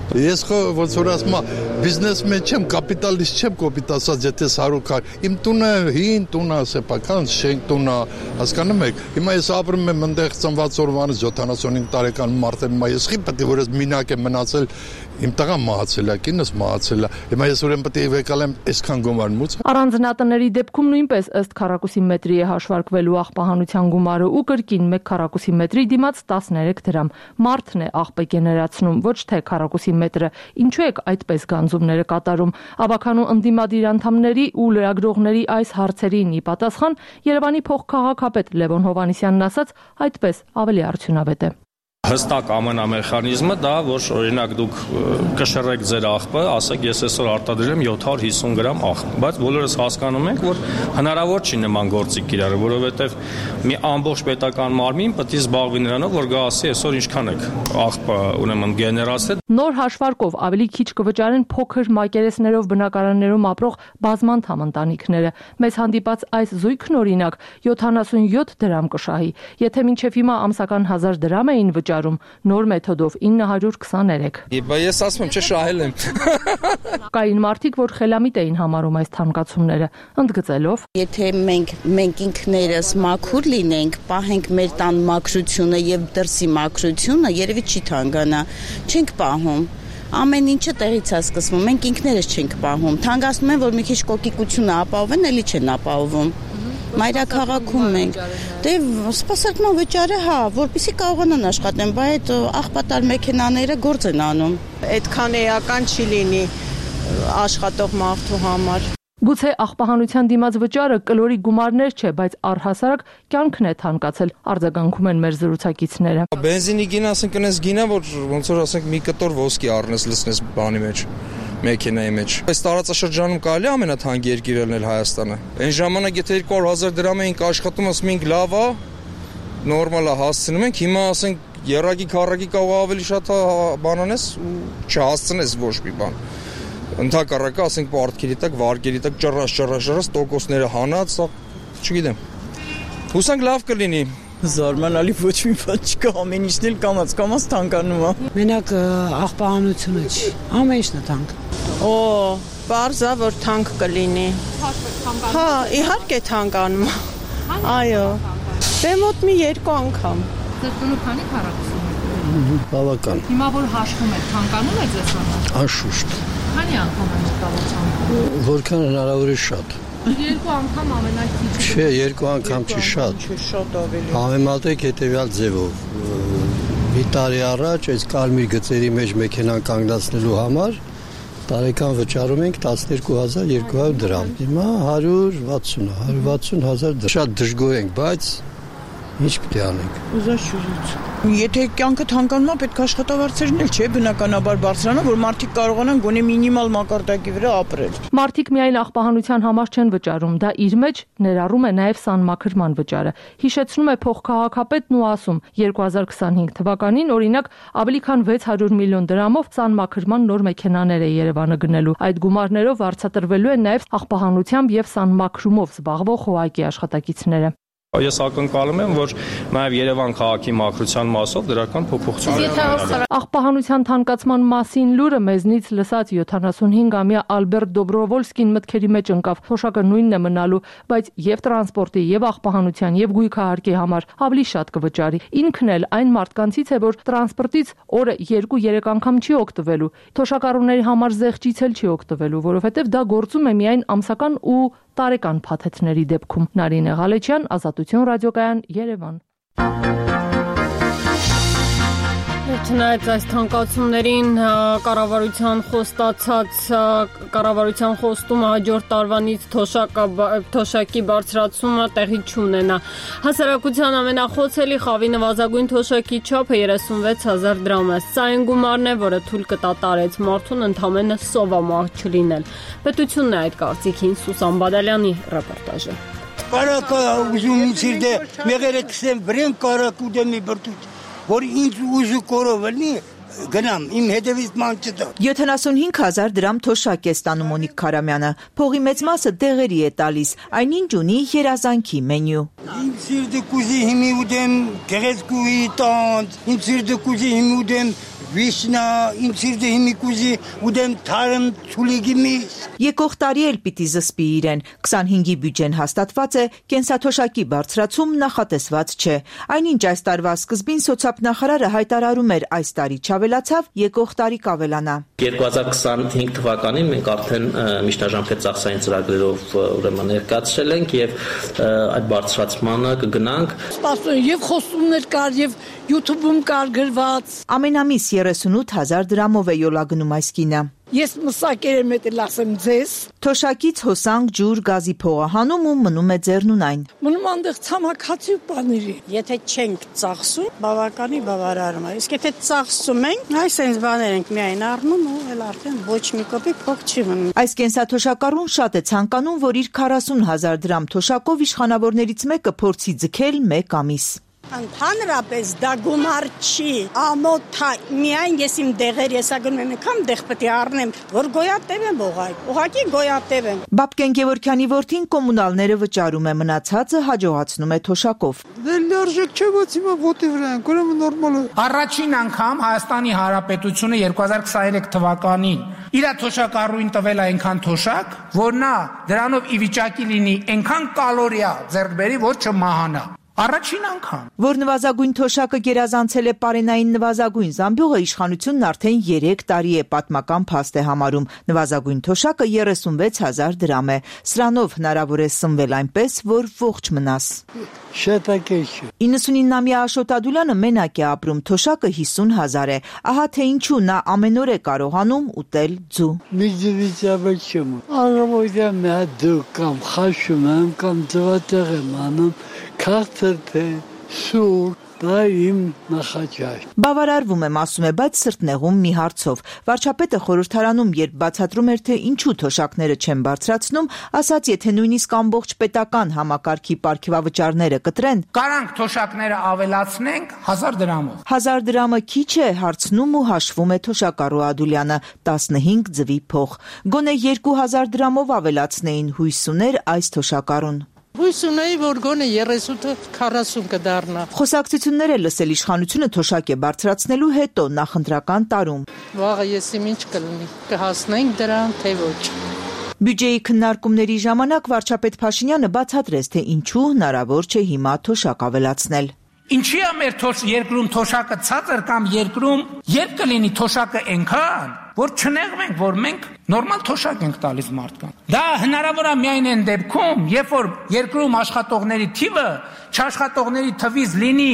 Ես ոնց որ ասում եմ, բիզնեսմեն չեմ, կապիտալիստ չեմ, կոպիտ ասած, եթե հարյուր իմ տունը հին տուն է, սեփական շենք տուն է, հասկանում եք։ Հիմա ես ապրում եմ այնտեղ ծնված օրվանից յոթանասունհինգ տարեկան մարդեմ, ես խի պետք է որ ես մինակ եմ մնացել, իմ տղան մահացել է, կինս մահացել է։ Հիմա ես ուրեմն պետք է վեկալեմ այսքան գումար մուծը։ Առանձնատների դեպքում նույնպես ըստ քառակուսի մետրի է հաշվարկվելու աղբահանության գումարը ու կրկին մեկ քառակուսի մետրի դիմաց տասներեք դրամ։ Մարդն է աղբը գեներացնում, ոչ թե քառակուսի մետրը։ Ինչու եք այդպես գանձումները կատարում։ Ավականու ընդդիմադիր անդամների ու լրագրողների այս հարցերին ի պատասխան Երևանի փոխքաղաքապետ Լևոն Հովհաննիսյանն ասաց, այդպես ավելի արդյունավետ է։ Հստակ ամենամեխանիզմը դա, որ օրինակ դուք կշռեք ձեր աղբը, ասեք ես այսօր արտադրել եմ յոթ հարյուր հիսուն գրամ աղբ, բայց բոլորս հասկանում ենք, որ հնարավոր չի նման գործի կիրառել, որովհետև մի ամբողջ պետական մարմին պետք է զբաղվի նրանով, որ գա ասի այսօր ինչքան եք աղբը ուրեմն գեներացրել։ Նոր հաշվարկով ավելի քիչ կվճարեն փոքր մակերեսներով բնակարաններում ապրող բազմանդամ ընտանիքները։ Մեզ հանդիպած այս զույգն օրինակ յոթանասունյոթ դրամ կշահի, եթե մինչև հիմա ամսական հազար դրամ էին վճարում, նոր մեթոդով ինը հարյուր քսաներեք։ Բա ես ասում եմ, չէ շահել եմ։ Կային մարդիկ, որ խելամիտ էին համարում այս թանկացումները, ընդգծելով. Եթե մենք մենք ինքներս մաքուր լինենք, պահենք մեր տան մաքրությունը եւ դրսի մաքրությունը, երևի չի թանկանա, չենք պահում։ Ամեն ինչը տեղից է սկսվում, մենք ինքներս չենք պահում։ Թանկացնում են, որ մի քիչ կոկիկությունը ապահովեն, էլի չեն ապահովում։ Մայրաքաղաքում ենք։ Դե սպասարկման վճարը, հա, որպեսզի կարողանան աշխատեն, բայց այդ աղբատար մեքենաները գործ են անում։ Այդքան էական չի լինի աշխատող մարդու համար։ Գուցե աղբահանության դիմաց վճարը կլորի գումարներ չէ, բայց առհասարակ կյանքն է թանկացել, արձագանքում են մեր զրուցակիցները։ Բենզինի գինը, ասենք, այնպես գինը, որ ոնց որ ասենք մի կտոր ոսկի առնես, լցնես բանի մեջ, մեքենայի մեջ։ Այս տարածաշրջանում կարելի է ամենաթանկ երկիրը լինել Հայաստանը։ Այն ժամանակ եթե երկու հարյուր հազար դրամ էինք աշխատում, ասում էինք լավ է, նորմալ է, հասցնում ենք, հիմա ասենք երակի քառակի կարող ավելի շատ բան անես ու չհասցնես ոչ մի բան։ Ընդհակառակը, ասենք, պարտքերի տակ, վարկերի տակ ճռռաշ, ճռռաշ, ճռռաշ տոկոսները հանած, սա չգիտեմ։ Հուսանք լավ կլինի։ Զարմանալի ոչ մի բան չկա, ամեն ինչն էլ կամաց, կամաց թանկանում է։ Մենակ աղբահանությունը չի, ամեն ինչն է թանկ։ Օ, բարձա, որ թանկ կլինի։ Հա, իհարկե թանկանում է։ Այո։ Դե մոտ մի երկու անգամ։ Ձեր տունը քանի քառակուսի է։ Բավական։ Հիմա որ հաշվում եք, թանկանում է ձեզ համար։ Անշուշտ։ Քանի անգամ է մտավոր։ Որքան հնարավոր է շատ։ Երկու անգամ ամենաքիչը։ Չէ, երկու անգամ չի շատ։ Շատ ավելի։ Համեմատեք հետևյալ ձևով։ Մի տարի առաջ այս կարմիր գծերի մեջ մեքենան կանգնացնելու համար տարեկան վճարում ենք տասներկու հազար երկու հարյուր դրամ։ Հիմա հարյուր վաթսուն, հարյուր վաթսուն հազար դրամ։ Շատ դժգոհ ենք, բայց ինչ պիտի անենք։ Ուզաշուզից։ Եթե կյանքը թանկանում է, պետք է աշխատավարձերն էլ չէ, բնականաբար բարձրանա, որ մարդիկ կարողանան գոնե մինիմալ մակարդակի վրա ապրել։ Մարդիկ միայն աղբահանության համար չեն վճարում, դա իր մեջ ներառում է նաև սանմաքրման վճարը։ Հիշեցնում է փոխքաղաքապետն ու ասում, երկու հազար քսանհինգ թվականին, օրինակ, ավելի քան վեց հարյուր միլիոն դրամով սանմաքրման նոր մեքենաներ է Երևանը գնելու։ Այդ գումարներով վարձատրվելու են նաև աղբահանությամբ եւ սանմաքրումով զբաղվող ԽՕԱԿ-ի աշխատակիցները։ Ես ակնկալում եմ, որ նաև Երևան քաղաքի մաքրության մասով դրական փոփոխություններ։ Աղբահանության թանկացման մասին լուրը մեզնից լսած յոթանասունհինգամյա Ալբերտ Դոբրովոլսկին մտքերի մեջ ընկավ։ Թոշակը նույնն է մնալու, բայց եւ տրանսպորտի, եւ աղբահանության, եւ գույքահարկի համար ավելի շատ կվճարի։ Ինքն էլ այն մարդկանցից է, որ տրանսպորտից օրը երկու-երեք անգամ չի օգտվելու։ Թոշակառուների համար զեղչից էլ չի օգտվելու, որովհետեւ դա գործում է միայն ամսական ու տարեկան փաթեթների դեպքում։ Նարինե Ղալեչյան, Ազատություն ռադիոկայան, Երևան։ Չնայած այս թանկացումներին կառավարության խոստացած կառավարության խոստումը հաջորդ տարվանից թոշակի բարձրացումը տեղի չունենա։ Հասարակության ամենախոցելի խավի նվազագույն թոշակի չափը երեսունվեց հազար դրամ է։ Սա այն գումարն է, որը թույլ կտատարեց մարդուն ընդամենը սովամահ չլինել։ Պետությունն է այդ կարծիքին, Սուսան Բադալյանի ռեպորտաժը։ Կարակա ուզում ինձ դե մեղերը կսեմ վրեն կարակ ու դեմի բրտուց որ ինձ ուժը կորովնի գնամ իմ հետևից ման չտա յոթանասունհինգ հազար դրամ թոշակ է ստանում Մոնիկ Քարամյանը փողի մեծ մասը դեղերի է տալիս այնինչ ունի երազանքի մենյու իմ սիրտը կուզի հիմի ուդեմ գեղեցկուի տանց իմ սիրտը կուզի հիմի ուդեմ Վիշնա, իմ սիրտը հիմի կուզի ուդեմ թարմ ցուլիգի միս։ Եկող տարի էլ պիտի զսպի իրեն։ քսանհինգի բյուջեն հաստատված է, կենսաթոշակի բարձրացում նախատեսված չէ։ Այնինչ այս տարվա սկզբին սոցիալնախարարը հայտարարում էր այս տարի չավելացավ, եկող տարի կավելանա։ երկու հազար քսանհինգ թվականին մենք արդեն միջնաժամկետ ծախսային ծրագրերով ուրեմն ներկայացրել ենք եւ այդ բարձրացմանը կգնանք։ Սպասում եւ խոսումներ կար եւ YouTube-ում կար գրված։ Ամենամիս երեսունութ հազար դրամով է յոլա գնում այս կինը։ Ես մսակեր եմ էլ ասեմ ձեզ։ Թոշակից հոսանք, ջուր, գազի փողահանում ու մնում է ձեռնունայն։ Մնում այնտեղ ցամաքացի բաների։ Եթե չենք ծախսում, բավականի բավարարում է։ Իսկ եթե ծախսում ենք, այս այնպես բաներ ենք միայն առնում ու էլ արդեն ոչ մի կոպեկ փող չի մնում։ Այս կենսաթոշակառուն շատ է ցանկանում, որ իր քառասուն հազար դրամ թոշակով իշխանավորներից մեկը փորձի ձգել մեկ ամիս։ Ընդհանրապես դա գումար չի, ամոթ է, միայն ես իմ դեղեր եսա գնում եմ, եկամ դեղ պետք է առնեմ, որ գոյատև եմ ուղղակի, ուղղակի գոյատև եմ։ Բաբկեն Գևորգյանի որդին կոմունալները վճարում է, մնացածը հաջողացնում է թոշակով։ Դե լարժեք չէ, բայց հիմա ոտի վրա են, ուրեմն նորմալ է։ Առաջին անգամ Հայաստանի Հանրապետությունը երկու հազար քսաներեք թվականին իր թոշակառուին տվել է այնքան թոշակ, որ նա դրանով ի վիճակի լինի այնքան կալորիա ձեռք բերի, որ չմահանա։ Առաջին անգամ։ Որ նվազագույն թոշակը գերազանցել է պարենային նվազագույն զամբյուղը իշխանությունն արդեն երեք տարի է պատմական փաստ է համարում։ Նվազագույն թոշակը երեսունվեց հազար դրամ է։ Սրանով հնարավոր է սնվել այնպես, որ ողջ մնաս։ իննսունինամյա Աշոտ Ադուլյանը մենակ է ապրում, թոշակը հիսուն հազար է։ Ահա թե ինչու նա ամեն օր է կարողանում ուտել ձու։ Միջվիճաբը չեմ։ Առավոտյան մի հատ դու կամ խաշում եմ կամ ձվատեղ եմ անում, քարտը թե սուր Դա իմ նախաճաշ։ Բավարարվում եմ, ասում է, բայց սրտնեղում մի հարցով։ Վարչապետը խորհրդարանում, երբ բացատրում էր, թե ինչու թոշակները չեն բարձրացնում, ասաց, եթե նույնիսկ ամբողջ պետական համակարգի պարգևավճարները կտրեն, կարանք թոշակները ավելացնենք հազար դրամով։ Հազար դրամը քիչ է, հարցնում ու հաշվում է թոշակառու Ադուլյանը, տասնհինգ ձվի փող։ Գոնե երկու հազար դրամով ավելացնեին, հույս ուներ այս թոշակառուն։ Հույս ունեի, որ գոնե երեսունը քառասուն կդառնա։ Խոսակցություններ է լսել իշխանությունը թոշակ է բարձրացնելու հետո նախընտրական տարում։ Վաղը ես իմ ինչ կլինի, կհասնենք դրան, թե ոչ։ Բյուջեի քննարկումների ժամանակ վարչապետ Փաշինյանը բացատրեց, թե ինչու հնարավոր չէ հիմա թոշակ ավելացնել։ Ինչի է մեր երկրում թոշակը ցածր կամ երկրում երբ կլինի թոշակը այնքան, որ չնեղվենք, որ մենք նորմալ թոշակ ենք տալիս մարդկանց։ Դա հնարավոր է միայն այն դեպքում, երբ որ երկրում աշխատողների թիվը չաշխատողների թվից լինի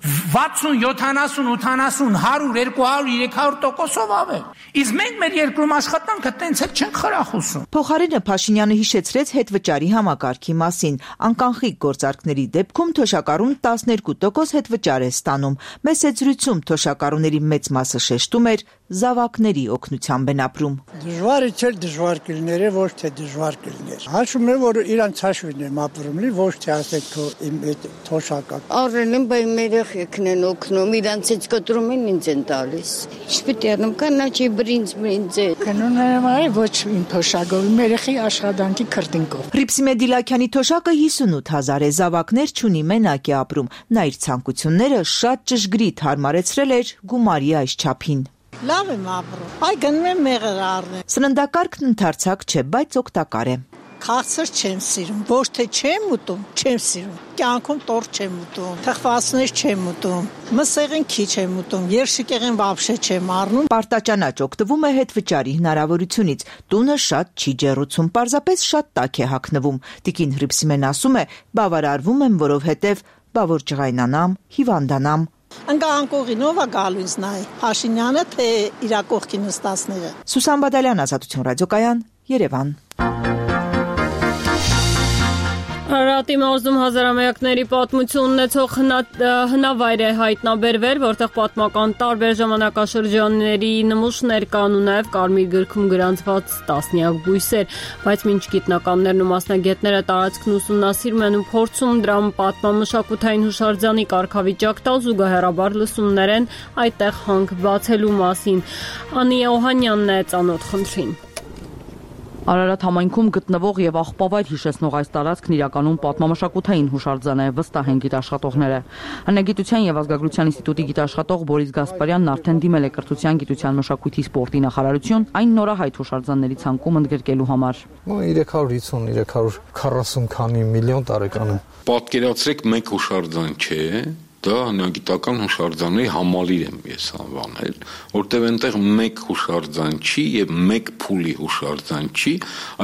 վաթսուն, յոթանասուն, ութանասուն, հարյուր, երկու հարյուր, երեք հարյուր տոկոսով ավել։ Իսկ մենք մեր երկրում աշխատանքը տենց էլ չենք խրախուսում։ Փոխարենը Փաշինյանը հիշեցրեց հետվճարի համակարգի մասին։ Անկանխիկ գործարքների դեպքում թոշակառուն տասներկու տոկոս հետվճար է ստանում։ Մեծ զրույցում թոշակառուների մեծ մասը շեշտում էր զավակների օգնությամբ են ապրում։ Դժվարը չէ, դժվար կլիներ, ոչ թե դժվար կլիներ։ Հաշվում եմ, որ իրանց հաշվին եմ ապրում, լի ոչ թե ասեք թո իմ այդ թոշակը։ Առել եմ, բայց մեր երեխեքն են օգնում, իրանցից կտրում են ինձ են տալիս։ Ինչ պիտի անեմ, կանաչի բրինձ բրինձ է։ Կնոն եմ այ ոչ իմ թոշակով, իմ երեխի աշխատանքի քրտինկով։ Հռիփսիմե Դիլաքյանի թոշակը հիսունութ հազար է, զավակներ չունի, մենակ է ապրում։ Նա իր ցանկությունները շատ ճշգրիտ հարմարեցրել էր գումարի այս չափին։ Լավ եմ ապրում։ Այ գնում եմ մեղր առնել։ Սննդակարգն ընդարձակ չէ, բայց օգտակար է։ Քաղցր չեմ սիրում, ոչ թե չեմ ուտում, չեմ սիրում։ Կյանքում տորտ չեմ ուտում, թխվածներ չեմ ուտում, մսեղեն քիչ եմ ուտում, երշիկեղեն վաբշե չեմ առնում։ Պարտաճանաչ օգտվում է հետվճարի հնարավորությունից։ Տունը շատ չի ջեռուցում, պարզապես շատ տաք է հագնվում։ Տիկին Հռիփսիմեն ասում է, բավարարվում եմ, որովհետև բա որ ջղայնանամ, հիվանդանամ։ Ընկա անկողինով է գալու ինձ նայ, Փաշինյանը թե իրա կողքի նստածները։ Սուսան Բադալյան, Ազատություն ռադիոկայան, Երևան։ Արարատի մարզում հազարամյակների պատմություն ունեցող հնավայր է հայտնաբերվել, որտեղ պատմական տարբեր ժամանակաշրջանների նմուշներ կան ու նաև կարմիր գրքում գրանցված տասնյակ բույսեր, բայց մինչ գիտնականներն ու մասնագետները տարածքն ուսումնասիրում են ու փորձում դրան պատմամշակութային հուշարձանի կարգավիճակ տալ, զուգահեռաբար լսումներ են այդտեղ հանք բացելու մասին։ Անի Օհանյանն է ծանոթ խնդրին։ Արարատ համայնքում գտնվող եւ աղբավայր հիշեցնող այս տարածքն իրականում պատմամշակութային հուշարձան է, վստահ են գիտաշխատողները։ Հնագիտության եւ ազգագրության ինստիտուտի գիտաշխատող Բորիս Գասպարյանն արդեն դիմել է կրթության, գիտության, մշակույթի, սպորտի նախարարություն այն նորահայտ հուշարձանների ցանկում ընդգրկելու համար։ երեք հարյուր հիսուն երեք հարյուր քառասուն քանի միլիոն տարեկան է։ Պատկերացրեք, մեկ հուշարձան չէ, դա հնագիտական հուշարձանների համալիր եմ ես անվանել, որտեղ այնտեղ մեկ հուշարձան չի եւ մեկ փուլի հուշարձան չի,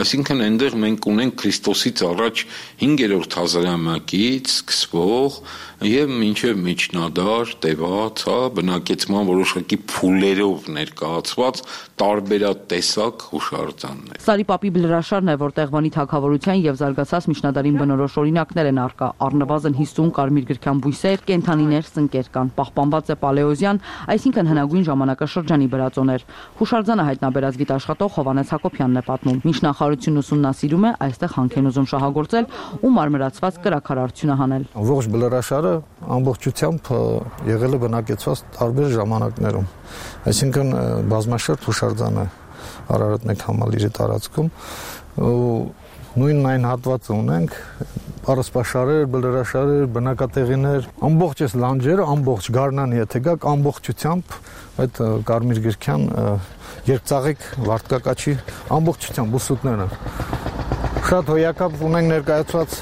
այսինքն այնտեղ մենք ունենք Քրիստոսից առաջ հինգերորդ հազարամյակից սկսվող եւ մինչեւ միջնադար տևած, հա, բնակեցման որոշակի փուլերով ներկայացված տարբերատեսակ հուշարձաններ։ Սարիպապի բլրաշարն է, որտեղ Վանի թագավորության եւ զարգացած միջնադարին բնորոշ օրինակներ են առկա, առնվազն հիսուն կարմիր գրքան բույսեր, կենդանիներ, սնկեր կան, պահպանված է պալեոզյան, այսինքն հնագույն ժամանակաշրջանի բրածոներ։ Հուշարձանը հայտնաբերած գիտաշխատող Հովանես Հակոբյանն է պատմում։ Մինչ նախարարությունն ուսումնասիրում է, այստեղ հանք են ուզում շահագործել ու մարմրացված կրակարարություն հանել։ Ողջ բլրաշարը ամբողջությամբ եղել է բնակեցված տարբեր ժամանակներում, այսինքն բազմաշերտ հուշարձան է Արարատ մեկ համալիրի տարածքում ու նույն այն հատվածը ունենք, առասպաշարեր, բլրաշարեր, բնակատեղիներ, ամբողջ այս լանջերը, ամբողջ Գառնան եթե գաք, ամբողջությամբ այդ կարմիր գրքյան երկծաղիկ վարդկակաչի ամբողջությամբ ուսուտները։ Շատ հոյակապ ունենք ներկայացված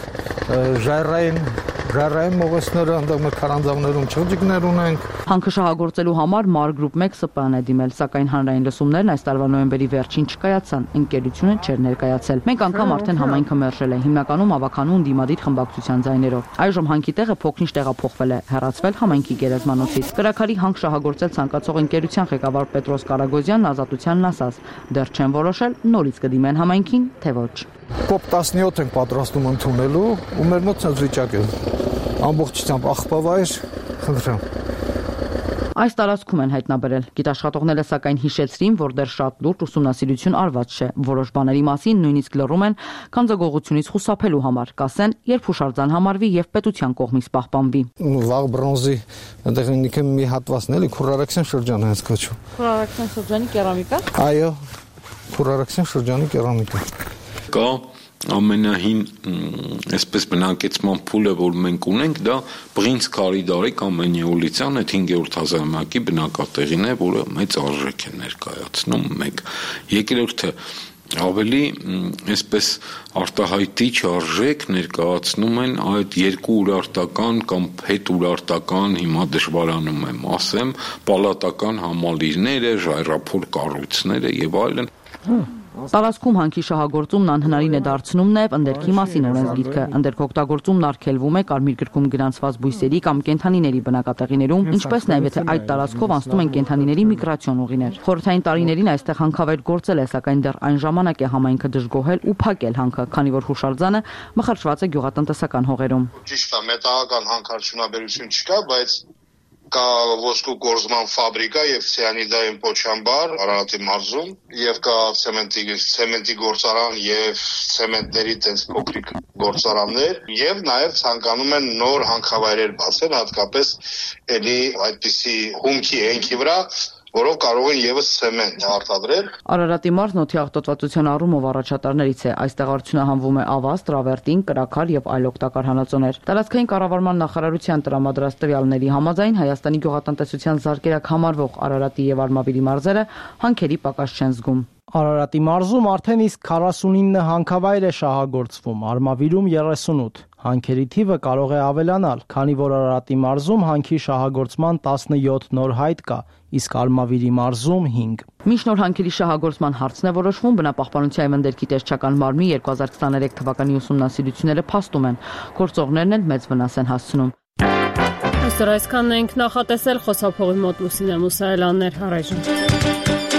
ժայռային Ժայռային մողեսները, այնտեղ մեր քարանձավներում չղջիկներ ունենք։ Հանքը շահագործելու համար Մար գրուպ մեկ Ս Պ Ն է դիմել, սակայն հանրային լսումներն այս տարվա նոյեմբերի վերջին չկայացան, ընկերությունը չէր ներկայացել։ Մեկ անգամ արդեն համայնքը մերժել է, հիմնականում ավականու ընդդիմադիր խմբակցության ձայներով։ Այժմ հանքի տեղը փոքրինչ տեղափոխվել է, հեռացվել համայնքի գերեզմանոցից։ Կրակարի հանք շահագործել ցանկացող ընկերության ղեկավար Պետրոս Կարագոզյանն Ազատությանն ասաց, դեռ չեն որոշել նորից կդիմեն համայնքին, թե ոչ։ Կոպ տասնյոթ ենք պատրաստում ընդունելու ու մեր մոտ ցած վիճակ է։ Ամբողջությամբ աղբավայր, Խնդրեմ։ Այս տարածքում են հայտնաբերել։ Գիտաշխատողները սակայն հիշեցրին, որ դեռ շատ լուրջ ուսումնասիրություն արված չէ։ Որոշ բաների մասին նույնիսկ լռում են քանձագողությունից խուսափելու համար, կասեն, երբ հուշարձան համարվի եւ պետության կողմից պահպանվի։ Վաղ բրոնզի այնտեղ ինքը մի հատվածն էլի Քուրարաքսյան շրջանը հենց կոչվում։ Քուրարաքսյան շրջանի կերամիկա։ Այո, Քուրարաքսյան շրջանի կերամիկա։ Կա ամենահին այսպես բնակեցման փուլը, որ մենք ունենք, դա Պրինց Կարիդարի կամ Նեոլիցյան այդ հինգերորդ հազարամյակի բնակատեղին է, որը մեծ արժեք է ներկայացնում մեկ։ Երկրորդը ավելի այսպես արտահայտիչ արժեք ներկայացնում են այդ երկու urարտական կամ հետ urարտական, հիմա դժվարանում եմ ասեմ, պալատական համալիրները, ժայռափոր կառույցները եւ այլն։ Տարածքում հանքի շահագործումն անհնարին է դարձնում նաև ընդերքի մասին օրենսգիրքը։ Ընդերք օգտագործումն արգելվում է կարմիր գրքում գրանցված բույսերի կամ կենդանիների բնակատեղիներում, ինչպես նաև եթե այդ տարածքով անցնում են կենդանիների միգրացիոն ուղիներ։ Խորհրդային տարիներին այստեղ հանքավայր գործել է, սակայն դեռ այն ժամանակ է համայնքը դժգոհել ու փակել հանքը, քանի որ հուշարձանը մխրճված է գյուղատնտեսական հողերում։ Ճիշտ է, մետաղական հանքարդյունաբերություն չկա, բայց կա ոսկու գործման ֆաբրիկա եւ ցիանիդային փոչամբար Արարատի մարզում եւ կա ցեմենտի ցեմենտի գործարան եւ ցեմենտների տես փոքրիկ գործարաններ եւ նաեւ ցանկանում են նոր հանքավայրեր բացել, հատկապես էլի այդպիսի հումքի հենքի վրա, որով կարող են եւս ցեմենտ արտադրել։ Արարատի մարզն օդի աղտոտվածության առումով առաջատարներից է։ Այստեղ արդյունահանվում է ավազ, տրավերտին, կրաքար եւ այլ օգտակար հանածոներ։ Տարածքային կառավարման նախարարության տրամադրած տվյալների համաձայն Հայաստանի գյուղատնտեսության զարգերակ համարվող Արարատի եւ Արմավիրի մարզերը հանքերի պակաս չեն զգում։ Արարատի մարզում արդեն իսկ քառասունինը հանքավայր է շահագործվում, Արմավիրում երեսունութ։ Հանքերի թիվը կարող է ավելանալ, քանի որ Արարատի մարզում հանքի շահագործման տասնյոթ նոր հայտ կա, իսկ Արմավիրի մարզում հինգ։ Մինչ նոր հանքերի շահագործման հարցն է որոշվում, բնապահպանության եւ ընդերքի տեսչական մարմնի երկու հազար քսաներեք թվականի ուսումնասիրությունները փաստում են, գործողներն էլ մեծ վնաս են հասցնում։ Այսօր այսքանն ենք նախատեսել, խոսափողի մոտ Լուսինե Մուսայելյաններ, առայժմ։